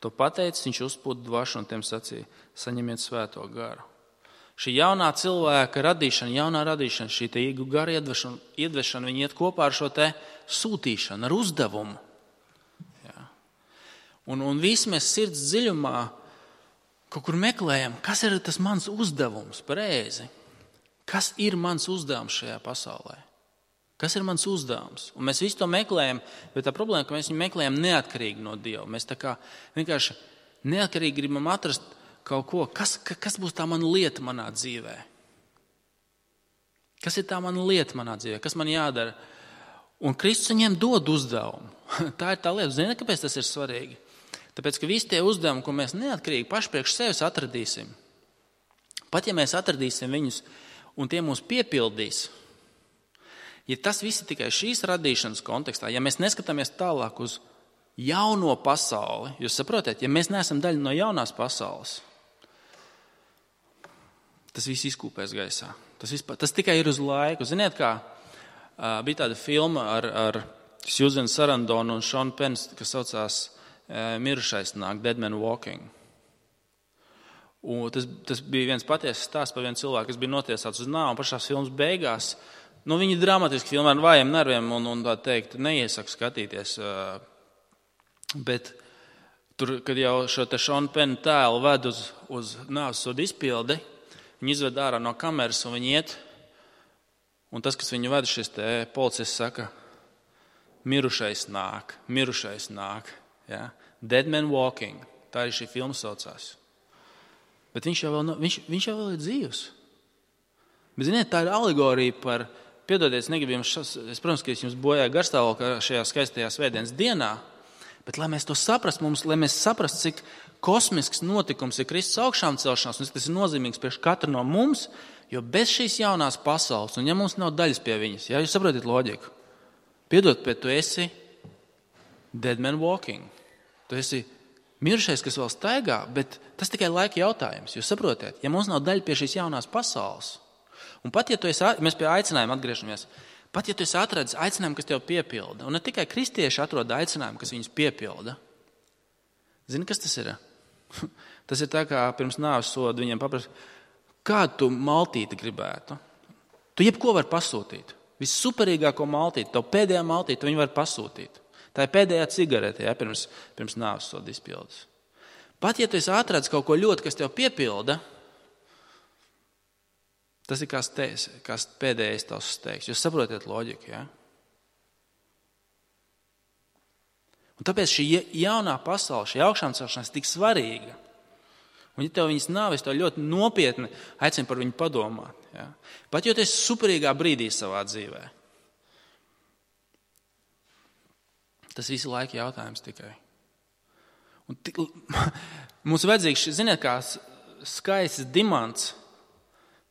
To pateicis, viņš uzpūta dvašu un tiem sacīja: saņemiet svēto garu. Šī jaunā cilvēka radīšana, šī īgu gara iedvešana, viņi iet kopā ar šo te sūtīšanu, ar uzdevumu. Jā. Un visi mēs sirds dziļumā kaut kur meklējam, kas ir tas mans uzdevums, pareizi. Kas ir mans uzdevums šajā pasaulē? Kas ir mans uzdevums? Un mēs visu to meklējam, bet tā problēma, ka mēs viņu meklējam neatkarīgi no Dieva. Mēs tā kā vienkārši neatkarīgi gribam atrast kaut ko, kas būs tā mana lieta manā dzīvē? Kas ir tā mana lieta manā dzīvē? Kas man jādara? Un Kristus viņiem dod uzdevumu. Tā ir tā lieta. Zini, kāpēc tas ir svarīgi? Tāpēc, ka visi tie uzdevumi, ko mēs neatkarīgi paši priekš sevis atradīsim, pat ja mēs atradīsim viņus un tie mūs piepildīs, ja tas viss ir tikai šīs radīšanas kontekstā, ja mēs neskatāmies tālāk uz jauno pasauli, jūs saprotat, ja mēs neesam daļa no jaunās pasaules, tas viss izkūpēs gaisā. Tas tikai ir uz laiku. Ziniet, kā bija tāda filma ar Susan Sarandonu un Sean Penn, kas saucās Mirušais nāk, Dead Man Walking. Un tas bija viens patiesas stāsts par vienu cilvēku, kas bija notiesāts uz nāvi, un pašās filmas beigās, viņi dramatiski filmē ar vājiem nerviem un tā teikt, neiesaku skatīties. Bet tur, kad jau šo te Sean Penn tēlu ved uz nāvsodu izpildi, viņi izved ārā no kameras un viņi iet, un tas, kas viņu ved, šis te policists saka, mirušais nāk. Ja? Dead Man Walking. Tā arī šī filma saucās. Bet viņš jau vēl ir dzīvs. Bet, ziniet, tā ir alegorija par, piedodiet, negribu jums, protams, ka es jums bojāju garstāvokli šajā skaistajā svētdienas dienā, bet, lai mēs to saprastu, lai mēs saprastu, cik kosmisks notikums ir Kristus augšām celšanās, un tas ir nozīmīgs priekš katru no mums, jo bez šīs jaunās pasaules, un ja mums nav daļas pie viņas, ja jūs saprotat loģiku, piedod, bet tu esi dead man walking. Tu esi mirušais, kas vēl staigā, bet tas tikai laika jautājums. Jūs saprotiet, ja mums nav daļa pie šīs jaunās pasaules, un pat ja tu esi, mēs pie aicinājuma atgriežamies, pat ja tu esi atradis aicinājumu, kas tev piepilda, un ne tikai kristieši atrod aicinājumu, kas viņus piepilda, zini, kas tas ir? Tas ir tā, kā pirms nāves soda viņiem paprasa, kādu tu maltīti gribētu. Tu jebko var pasūtīt. Vissuperīgāko maltīti, tev pēdējā maltīti, viņi var pasūtīt. Tā ir pēdējā cigarete, ja, pirms nāves soda izpildes. Pat ja tu esi atradis kaut ko ļoti, kas tev piepilda, tas ir kā pēdējais tavs steigs. Jūs saprotiet loģiku, ja? Un tāpēc šī jaunā pasaule, šī augšām celšanās ir tik svarīga. Un ja tev viņas nav, es tev ļoti nopietni aicinu par viņu padomāt. Ja? Pat jo tu esi superīgā brīdī savā dzīvē. Tas visu laiku jautājums tikai. Un mums vajadzīgs, ziniet, kā skaists dimants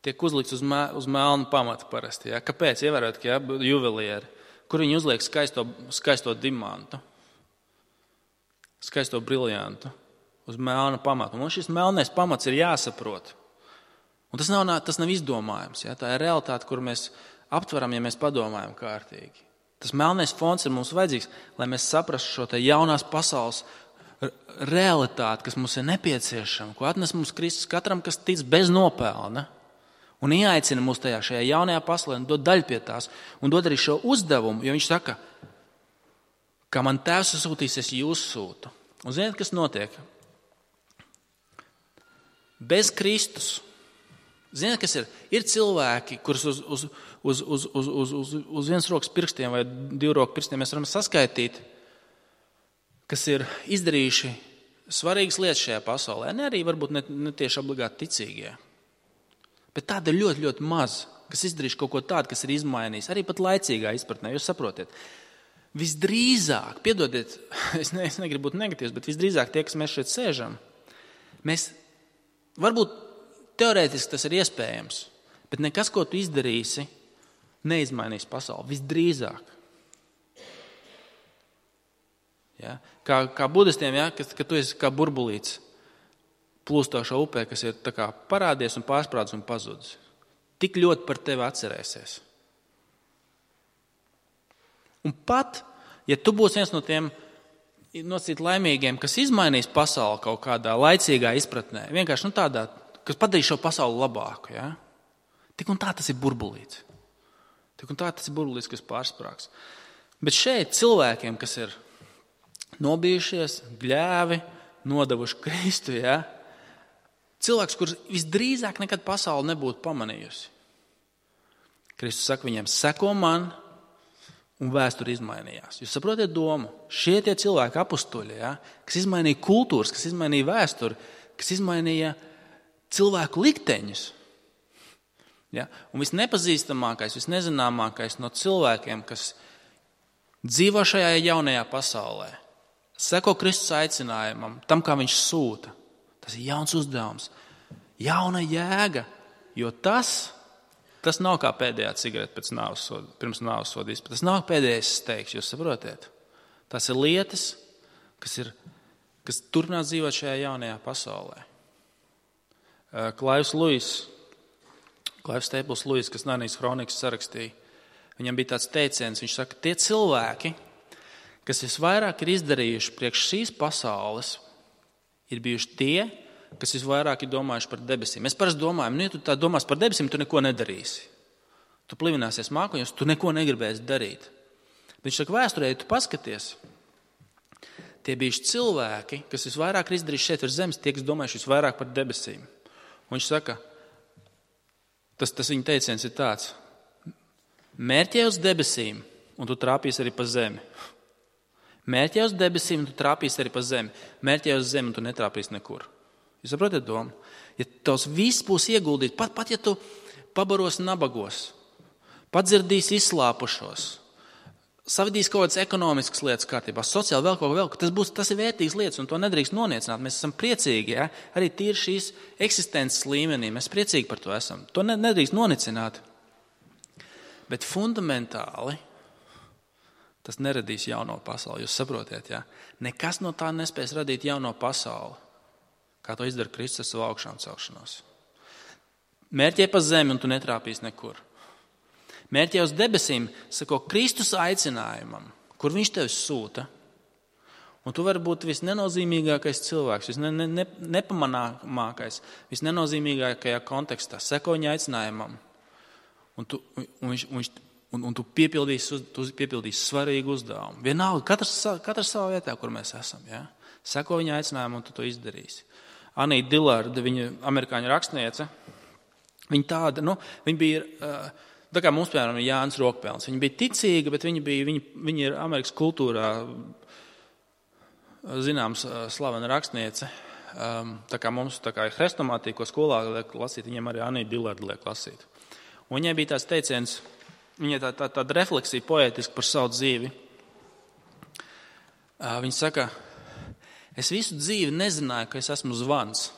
tiek uzlikts uz melnu pamatu parasti. Ja? Kāpēc? Ievērot, ka juvelieri, kur viņi uzliek skaisto dimantu, skaisto briljantu uz melna pamatu. Un šis melnais pamats ir jāsaprot. Un tas nav izdomājums. Ja? Tā ir realitāte, kur mēs aptveram, ja mēs padomājam kārtīgi. Tas melnais fons ir mums vajadzīgs, lai mēs saprastu šo te jaunās pasaules realitāti, kas mums ir nepieciešama, ko atnes mums Kristus katram, kas tic bez nopelna. Un ieaicina mūs šajā jaunajā pasaulē un dod daļu pie tās. Un dod arī šo uzdevumu, jo viņš saka, kā man tēvs sūtīs, es jūs sūtu. Un ziniet, kas notiek? Bez Kristus. Ziniet, kas ir? Ir cilvēki, kurus uz vienas rokas pirkstiem vai divu roku pirkstiem mēs varam saskaitīt, kas ir izdarījuši svarīgas lietas šajā pasaulē. Ne arī varbūt ne tieši obligāti ticīgie. Bet tāda ir ļoti, ļoti maz, kas izdarījuši kaut ko tādu, kas ir izmainījis. Arī pat laicīgā izpratnē, jūs saprotiet. Visdrīzāk, piedodiet, es negribu būt negatīvs, bet visdrīzāk tie, kas mēs šeit sēžam, mēs varbūt teorētiski tas ir iespējams, bet nekas, ko tu izdarīsi, neizmainīs pasauli. Visdrīzāk. Ja? Kā budistiem, ja? Ka tu esi kā burbulīts plūstošā upē, kas ir tā kā parādies un pārsprādis un pazudis. Tik ļoti par tevi atcerēsies. Un pat, ja tu būsi viens no tiem nosacīt laimīgiem, kas izmainīs pasauli kaut kādā laicīgā izpratnē, vienkārši tādā, kas padarīs šo pasauli labāku, ja? Tik un tā tas ir burbulīts. Tik un tā tas ir burbulīts, kas pārsprāgs. Bet šeit cilvēkiem, kas ir nobijušies, gļēvi, nodevuši Kristu, ja? Cilvēks, kurš visdrīzāk nekad pasauli nebūtu pamanījusi. Kristus saka viņiem, seko man, un vēsture izmainījās. Jūs saprotiet domu? Šie tie cilvēki apustuļi, ja? Kas izmainīja kultūras, kas izmainīja vēsturi, kas izmainīja cilvēku likteņus. Ja? Un visnepazīstamākais, visnezināmākais no cilvēkiem, kas dzīvo šajā jaunajā pasaulē, seko Kristus aicinājumam, tam, kā viņš sūta. Tas ir jauns uzdevums, jauna jēga, jo tas nav kā pēdējā cigarete pirms nāves soda izpildes. Tas nav pēdējais steigs, jūs saprotiet? Tas ir lietas, kas turpinās dzīvot šajā jaunajā pasaulē. Klaivs Luis Klaivs Staples Lewis, kas Narnijas kronikas sarakstīja, viņam bija tāds teiciens, viņš saka, tie cilvēki, kas visvairāk ir izdarījuši priekš šīs pasaules, ir bijuši tie, kas visvairāk ir domājuši par debesīm. Mēs parasti domājam, ja tu tā domās par debesīm, tu neko nedarīsi. Tu plivināsies mākoņos, tu neko negribēsi darīt. Bet viņš saka, vēsturē, ja tu paskaties, tie bijuši cilvēki, kas visvairāk ir izdarījuši šeit virs zemes, tie, kas domājuši visvairāk par debesīm. Un viņš saka, tas viņa teiciens ir tāds, mērķē uz debesīm, un tu trāpīsi arī pa zemi. Mērķē uz debesīm, un tu trāpīsi arī pa zemi. Mērķē uz zemi, un tu netrāpīsi nekur. Jūs saprotat domu? Ja tavs viss būs ieguldīts, pat ja tu pabaros nabagos, padzirdīsi izslāpušos, savadīs kaut kādas ekonomiskas lietas kārtībā, sociāli vēl kaut ko, tas ir vērtīgas lietas, un to nedrīkst noniecināt. Mēs esam priecīgi, ja? Arī tīri šīs eksistences līmenī. Mēs priecīgi par to esam. To nedrīkst noniecināt. Bet fundamentāli tas neradīs jauno pasauli. Jūs saprotiet, ja? Nekas no tā nespēs radīt jauno pasauli, kā to izdara Kristus savu augšām celšanos. Mērķē pa zemi, un tu netrāpīsi nekur. Mērķē uz debesīm, sako Kristus aicinājumam, kur viņš tevi sūta. Un tu vari būt visnenozīmīgākais cilvēks, visnepamanāmākais, visnenozīmīgākajā kontekstā. Seko viņa aicinājumam. Un tu piepildīsi svarīgu uzdevumu. Vienalga, katrs savā vietā, kur mēs esam. Ja? Seko viņa aicinājumu, un tu to izdarīsi. Anīta Dillarda, viņa amerikāņu rakstniece, viņa bija... Tā kā mums, piemēram, ir Jānis Rokpelns. Viņa bija ticīga, bet viņa ir Amerikas kultūrā zināms slavena rakstniece. Tā kā mums ir hrestomātija, ko skolā liek lasīt, viņiem arī Anīta Dillarda liek lasīt. Un viņai bija tāds teiciens, viņai tāda refleksija poētiska par savu dzīvi. Viņa saka, es visu dzīvi nezināju, ka es esmu zvans,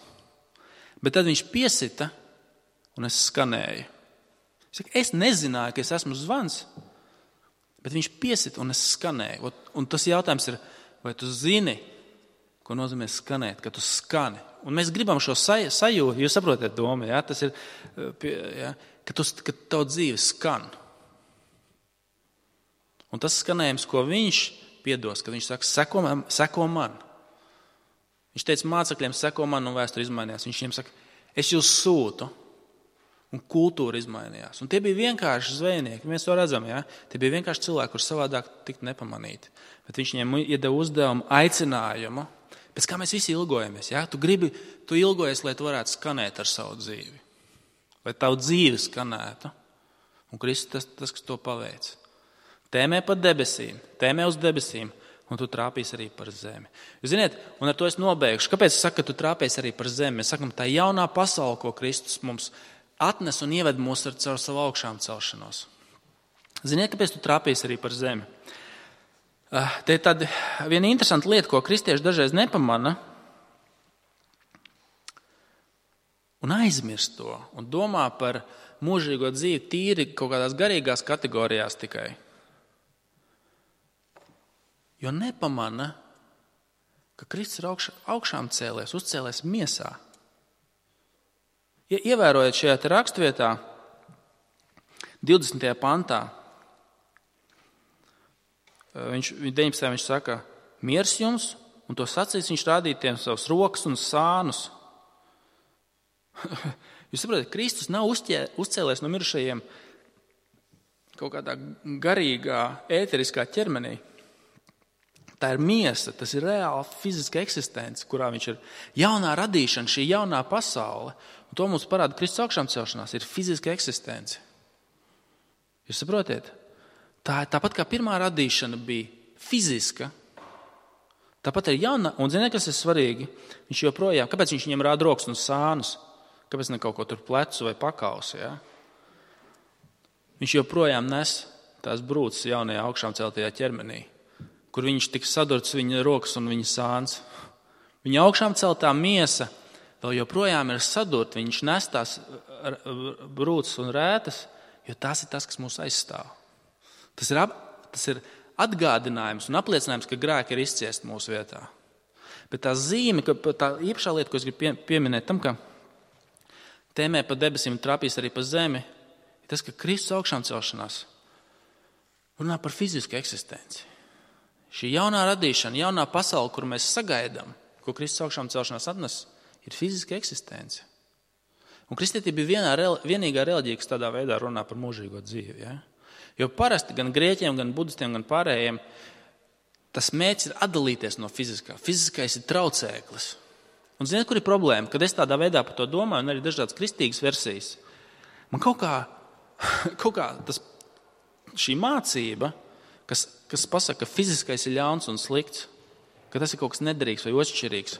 bet tad viņš piesita un es skanēju. Es nezināju, ka es esmu zvans, bet viņš piesita un es skanēju. Un tas jautājums ir, vai tu zini, ko nozīmē skanēt, ka tu skani. Un mēs gribam šo sajūtu, jūs saprotat domu, ja? Tas ir, ja? Ka tavu dzīve skan. Un tas skanējums, ko viņš piedos, kad viņš saka, seko man. Viņš teica mācekļiem, seko man, un vēsture izmainījās. Viņš viņiem saka, es jūs sūtu. Un kultūra izmainījās. Un tie bija vienkārši zvejnieki. Mēs to redzam, ja? Tie bija vienkārši cilvēki, kurus savādāk tikt nepamanīti. Bet viņš viņiem iedeva uzdevumu, aicinājumu, pēc kā mēs visi ilgojamies. Ja? Tu ilgojies, lai tu varētu skanēt ar savu dzīvi. Lai tavu dzīvi skanētu. Un Kristus tas, kas to paveic. Tēmē pa debesīm, tēmē uz debesīm, un tu trāpīsi arī par zemi. Jūs ziniet, un ar to es nobeigšu. Kāpēc es saku, ka tu trāpīsi arī par zemi? Mēs sakam, tā jaunā pasaule, ko Kristus mums atnes un ieved mūs caur savu augšām celšanos. Ziniet, kāpēc tu trāpīsi arī par zemi? Te ir tāda viena interesanta lieta, ko kristieši dažreiz nepamana un aizmirst to un domā par mūžīgo dzīvi tīri kaut kādās garīgās kategorijās tikai. Jo nepamana, ka Kristus ir augšām cēlies, uzcēlies miesā. Ievērojot šajā rakstvietā, 20. pantā, 19. viņš saka, miers jums, un to sacīs viņš rādīja tiem savus rokas un sānus. Jūs saprotat, Kristus nav uzcēlies no mirušajiem kaut kādā garīgā, ēteriskā ķermenī. Tā ir miesa, tas ir reāla fiziska eksistence, kurā viņš ir jaunā radīšana, šī jaunā pasaule. Un to mums parāda Kristus augšām celšanās, ir fiziska eksistence. Jūs saprotiet? Tāpat kā pirmā radīšana bija fiziska, tāpat ir jauna, un ziniet, kas ir svarīgi? Viņš joprojām, kāpēc viņš viņiem rāda rokas un sānus? Kāpēc ne kaut ko tur plecu vai pakausi? Ja? Viņš joprojām nes tās brūces jaunajā augšām celtajā ķermenī, kur viņš tika sadurts viņa rokas un viņa sāns. Viņa augšām celtā miesa vēl joprojām ir sadurta, viņš nes tās brūces un rētas, jo tas ir tas, kas mūs aizstāv. Tas ir atgādinājums un apliecinājums, ka grēki ir izciesti mūsu vietā. Bet tā zīme, tā īpašā lieta, ko es gribu pieminēt tam, ka tēmē pa debesīm un trāpīs arī pa zemi, ir tas, ka Kristus augšām celšanās runā par fizisku eksistenci. Šī jaunā radīšana, jaunā pasaule, kur mēs sagaidām, ko Kristus augšām celšanās atnes, ir fiziska eksistence. Un kristietība bija vienīgā reliģija, kas tādā veidā runā par mūžīgo dzīvi. Ja? Jo parasti gan grieķiem, gan budistiem, gan pārējiem tas mērķis ir atdalīties no fiziskā. Fiziskais ir traucēklis. Un ziniet, kur ir problēma? Kad es tādā veidā par to domāju, un arī dažādas kristīgas versijas, man kaut kā šī mācība, kas pasaka, ka fiziskais ir ļauns un slikts, ka tas ir kaut kas nederīgs vai otršķirīgs,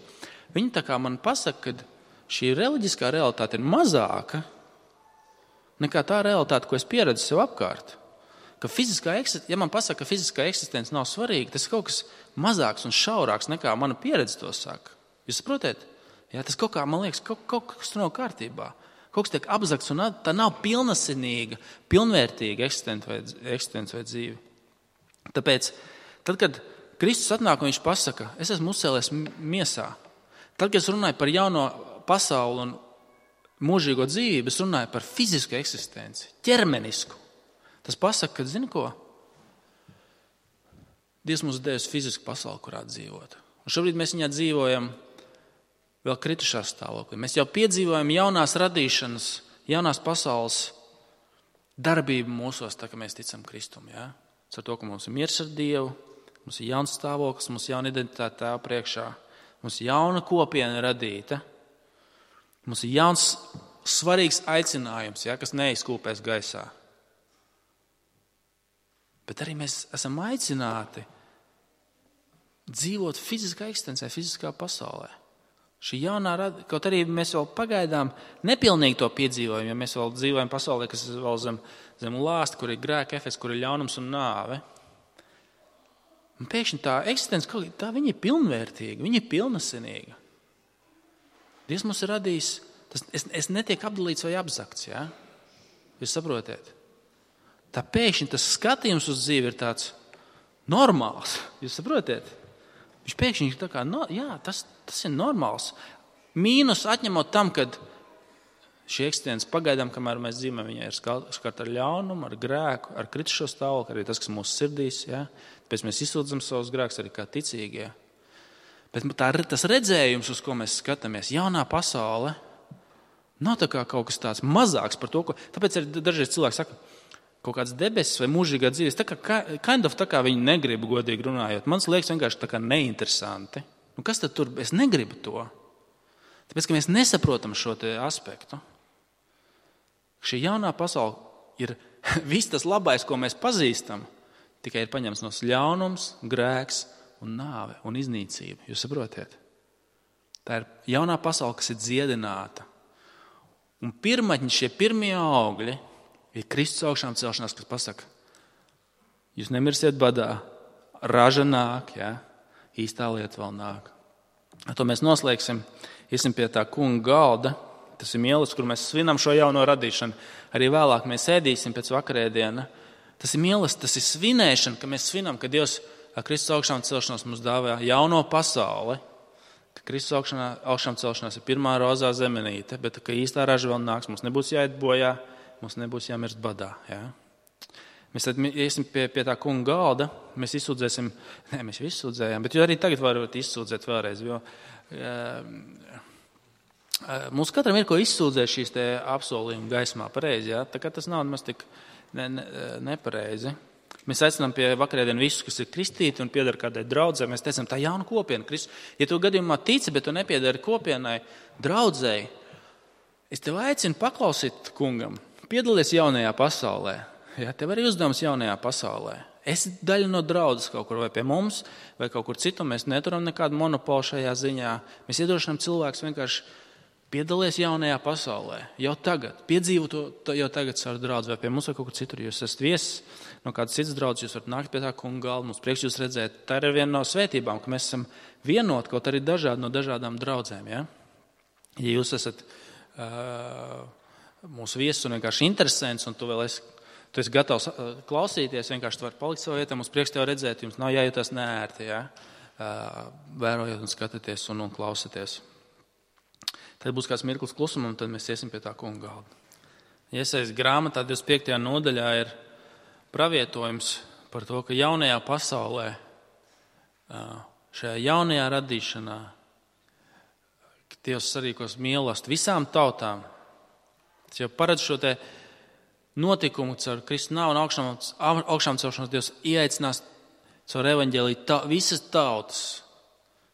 viņi tā kā man pasaka, ka šī reliģiskā realitāte ir mazāka nekā tā realitāte, ko es pieredzu sev apkārt. Ja man pasaka, ka fiziskā eksistence nav svarīga, tas ir kaut kas mazāks un šaurāks nekā mana pieredze to saka. Jūs saprotat? Jā, tas kaut kā, man liekas, kaut kas tur nav kārtībā. Kaut kas tiek apzakts un tā nav pilnasinīga, pilnvērtīga eksistence vai dzīve. Tāpēc, tad, kad Kristus atnāk un viņš pasaka, es esmu uzcēlies miesā, tad, kad es runāju par jauno pasauli un mūžīgo dzīvību, es runāju par fizisku eksistenci, ķermenisku. Tas pasaka, ka, zini ko? Dievs mums devis fizisku pasauli, kurā dzīvot. Un šobrīd mēs viņā dzīvojam vēl kritušā stāvoklī. Mēs jau piedzīvojam jaunās radīšanas, jaunās pasaules darbību mūsos, tā kā mēs ticam Kristum. Ja? Ar to, ka mums ir miers ar Dievu, mums ir jauns stāvoklis, mums ir jauna identitāte Tēva priekšā, mums ir jauna kopiena radīta, mums ir jauns svarīgs aicinājums, ja, kas neizkūpēs gaisā. Bet arī mēs esam aicināti dzīvot fiziskā eksistencē, fiziskā pasaulē. Šī jaunā kaut arī mēs vēl pagaidām nepilnīgi to piedzīvojam, ja mēs vēl dzīvojam pasaulē, kas ir vēl zem lāsta, kur ir grēka efekts, kur ir ļaunums un nāve. Un pēkšņi tā eksistence, tā viņa ir pilnvērtīga, viņa ir pilnasinīga. Dievs mums ir radījis, es netiek apdalīts vai apzakts, ja? Jūs saprotiet? Tā pēkšņi tas skatījums uz dzīvi ir tāds normāls. Jūs saprotiet? Viņš pēkšņi ir tā kā, tas ir normāls. Mīnus atņemot tam, kad šī eksistence pagaidām, kamēr mēs dzīvojam, viņa ir skarta ar ļaunumu, ar grēku, ar kritušo stāvokli, arī tas, kas mūsu sirdīs. Ja? Tāpēc mēs izsūdzam savus grēkus arī kā ticīgie. Bet tas redzējums, uz ko mēs skatāmies, jaunā pasaule, nav tā kā kaut kas tāds mazāks par to, ko... Tāpēc arī dažreiz cilvēki saka, kaut kāds debesis vai mūžīgā dzīves, tā kā viņi negrib godīgi runājot. Man liekas vienkārši tā kā neinteresanti. Nu, kas tad tur? Es negribu to. Tāpēc, ka mēs nesaprotam šo te aspektu. Šī jaunā pasaule ir viss tas labais, ko mēs pazīstam, tikai ir paņemts no ļaunums, grēks un nāve un iznīcība. Jūs saprotiet? Tā ir jaunā pasaule, kas ir dziedināta. Un pirmatņi, šie pirmie augļi, ir Kristus augšām celšanās, kas pasaka, jūs nemirsiet badā, raža nāk, ja? Īstā lieta vēl nāk. To mēs noslēgsim, iesim pie tā kunga galda, tas ir mielas, kur mēs svinam šo jauno radīšanu. Arī vēlāk mēs ēdīsim pēc vakarēdiena. Tas ir mielas, tas ir svinēšana, ka mēs svinam, ka Dievs ar Kristus augšām celšanos mums dāvā jauno pasauli, ka Kristus augšām celšanās ir pirmā rozā zemenīte, bet ka īstā raža vēl nāks, mums nebūs jāiet bojā, mums nebūs jāmirst badā. Ja? Mēs tad iesim pie tā kunga galda, mēs izsūdzēsim, mēs jau izsūdzējām, bet arī tagad varat izsūdzēt vēlreiz, jo mums katram ir ko izsūdzēt šīs te apsolījuma gaismā pareizi, ja? Tā kā tas nav maz tik nepareizi. Mēs aicinām pie vakarēdienu visus, kas ir kristīti un piedara kādai draudzē. Mēs teicam, tā jauna kopiena. Ja tu gadījumā tici, bet tu nepiedari kopienai, draudzēji, es tev aicinu paklausīt kungam, piedalies jaunajā pasaulē. Ja, tev arī uzdevums jaunajā pasaulē. Esi daļa no draudzes kaut kur vai pie mums, vai kaut kur citur. Mēs neturam nekādu monopolu šajā ziņā. Mēs iedrošinām cilvēkus vienkārši piedalies jaunajā pasaulē. Jau tagad. Piedzīvo to jau tagad savu draudzi vai pie mums vai kaut kur citur. Jūs esat viesis no kādas citas draudzes, jūs varat nākt pie tā kunga galda. Mums prieks jūs redzēt. Tā ir viena no svētībām, ka mēs esam vienoti, kaut arī dažādi no dažādām draudzēm. Ja, ja jūs esat mūsu viesis un vienkārši interesants un tu esi gatavs klausīties, vienkārši tu vari palikt savā vietā, mums prieks tev redzēt, jums nav jājūtas neērti, ja? Vērojot un skatāties un klausāties. Tad būs kāds mirklis klusuma, un tad mēs iesim pie tā kunga galda. Iesaijas grāmatā 25. nodaļā ir pravietojums par to, ka jaunajā pasaulē, šajā jaunajā radīšanā, ka Dievs sarīkos mīlestību visām tautām. Tas jau paredz šo te notikumu caur Kristu nāvi un augšām celšanos. Dievs ieaicinās caur evaņģēliju visas tautas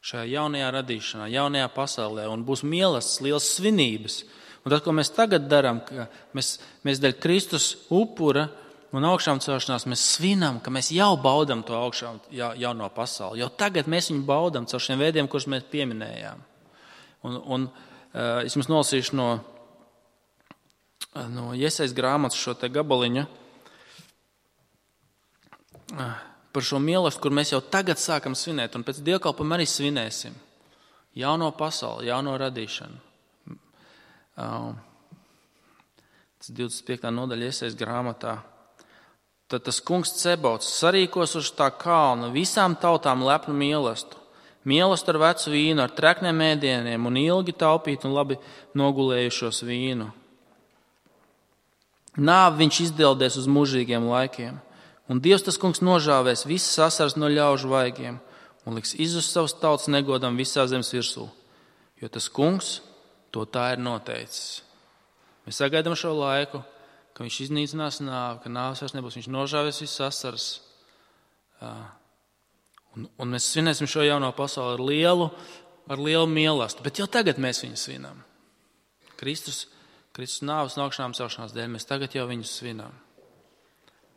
šajā jaunajā radīšanā, jaunajā pasaulē, un būs mīlestības, liels svinības. Un tas, ko mēs tagad darām, ka mēs dēļ Kristus upura un augšām celšanās, mēs svinam, ka mēs jau baudam to augšām jauno pasauli. Jau tagad mēs viņu baudam caur šiem veidiem, kurus mēs pieminējām. Un es jums nolasīšu no Iesaijas grāmatas šo te gabaliņu par šo mīlestību, kur mēs jau tagad sākam svinēt, un pēc dievkalpojuma arī svinēsim jauno pasauli, jauno radīšanu. Tas 25. nodaļa Iesaijas grāmatā. Tad tas kungs Cebauts sarīkos uz tā kalna visām tautām lepnu mīlestību. Mīlestību ar vecu vīnu, ar trekniem ēdieniem un ilgi taupīt un labi nogulējušos vīnu. Nāvi viņš izdeldēs uz mūžīgiem laikiem, un Dievs tas kungs nožāvēs visas asaras no ļaužu vaigiem un liks izzust savas tautas negodam visā zemes virsū, jo tas kungs to tā ir noteicis. Mēs sagaidām šo laiku, ka viņš iznīcinās nāvi, ka nāves vairs nebūs, viņš nožāvēs visas asaras. Un mēs svinēsim šo jauno pasauli ar lielu mīlestību, bet jau tagad mēs viņu svinam. Kristus nāves un augšām celšanās dēļ mēs tagad jau viņu svinam.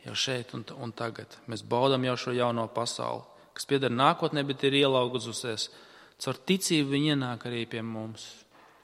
Jau šeit un tagad. Mēs baudam jau šo jauno pasauli, kas pieder nākotnē, bet ir ielaugusies. Caur ticību viņi ienāk arī pie mums.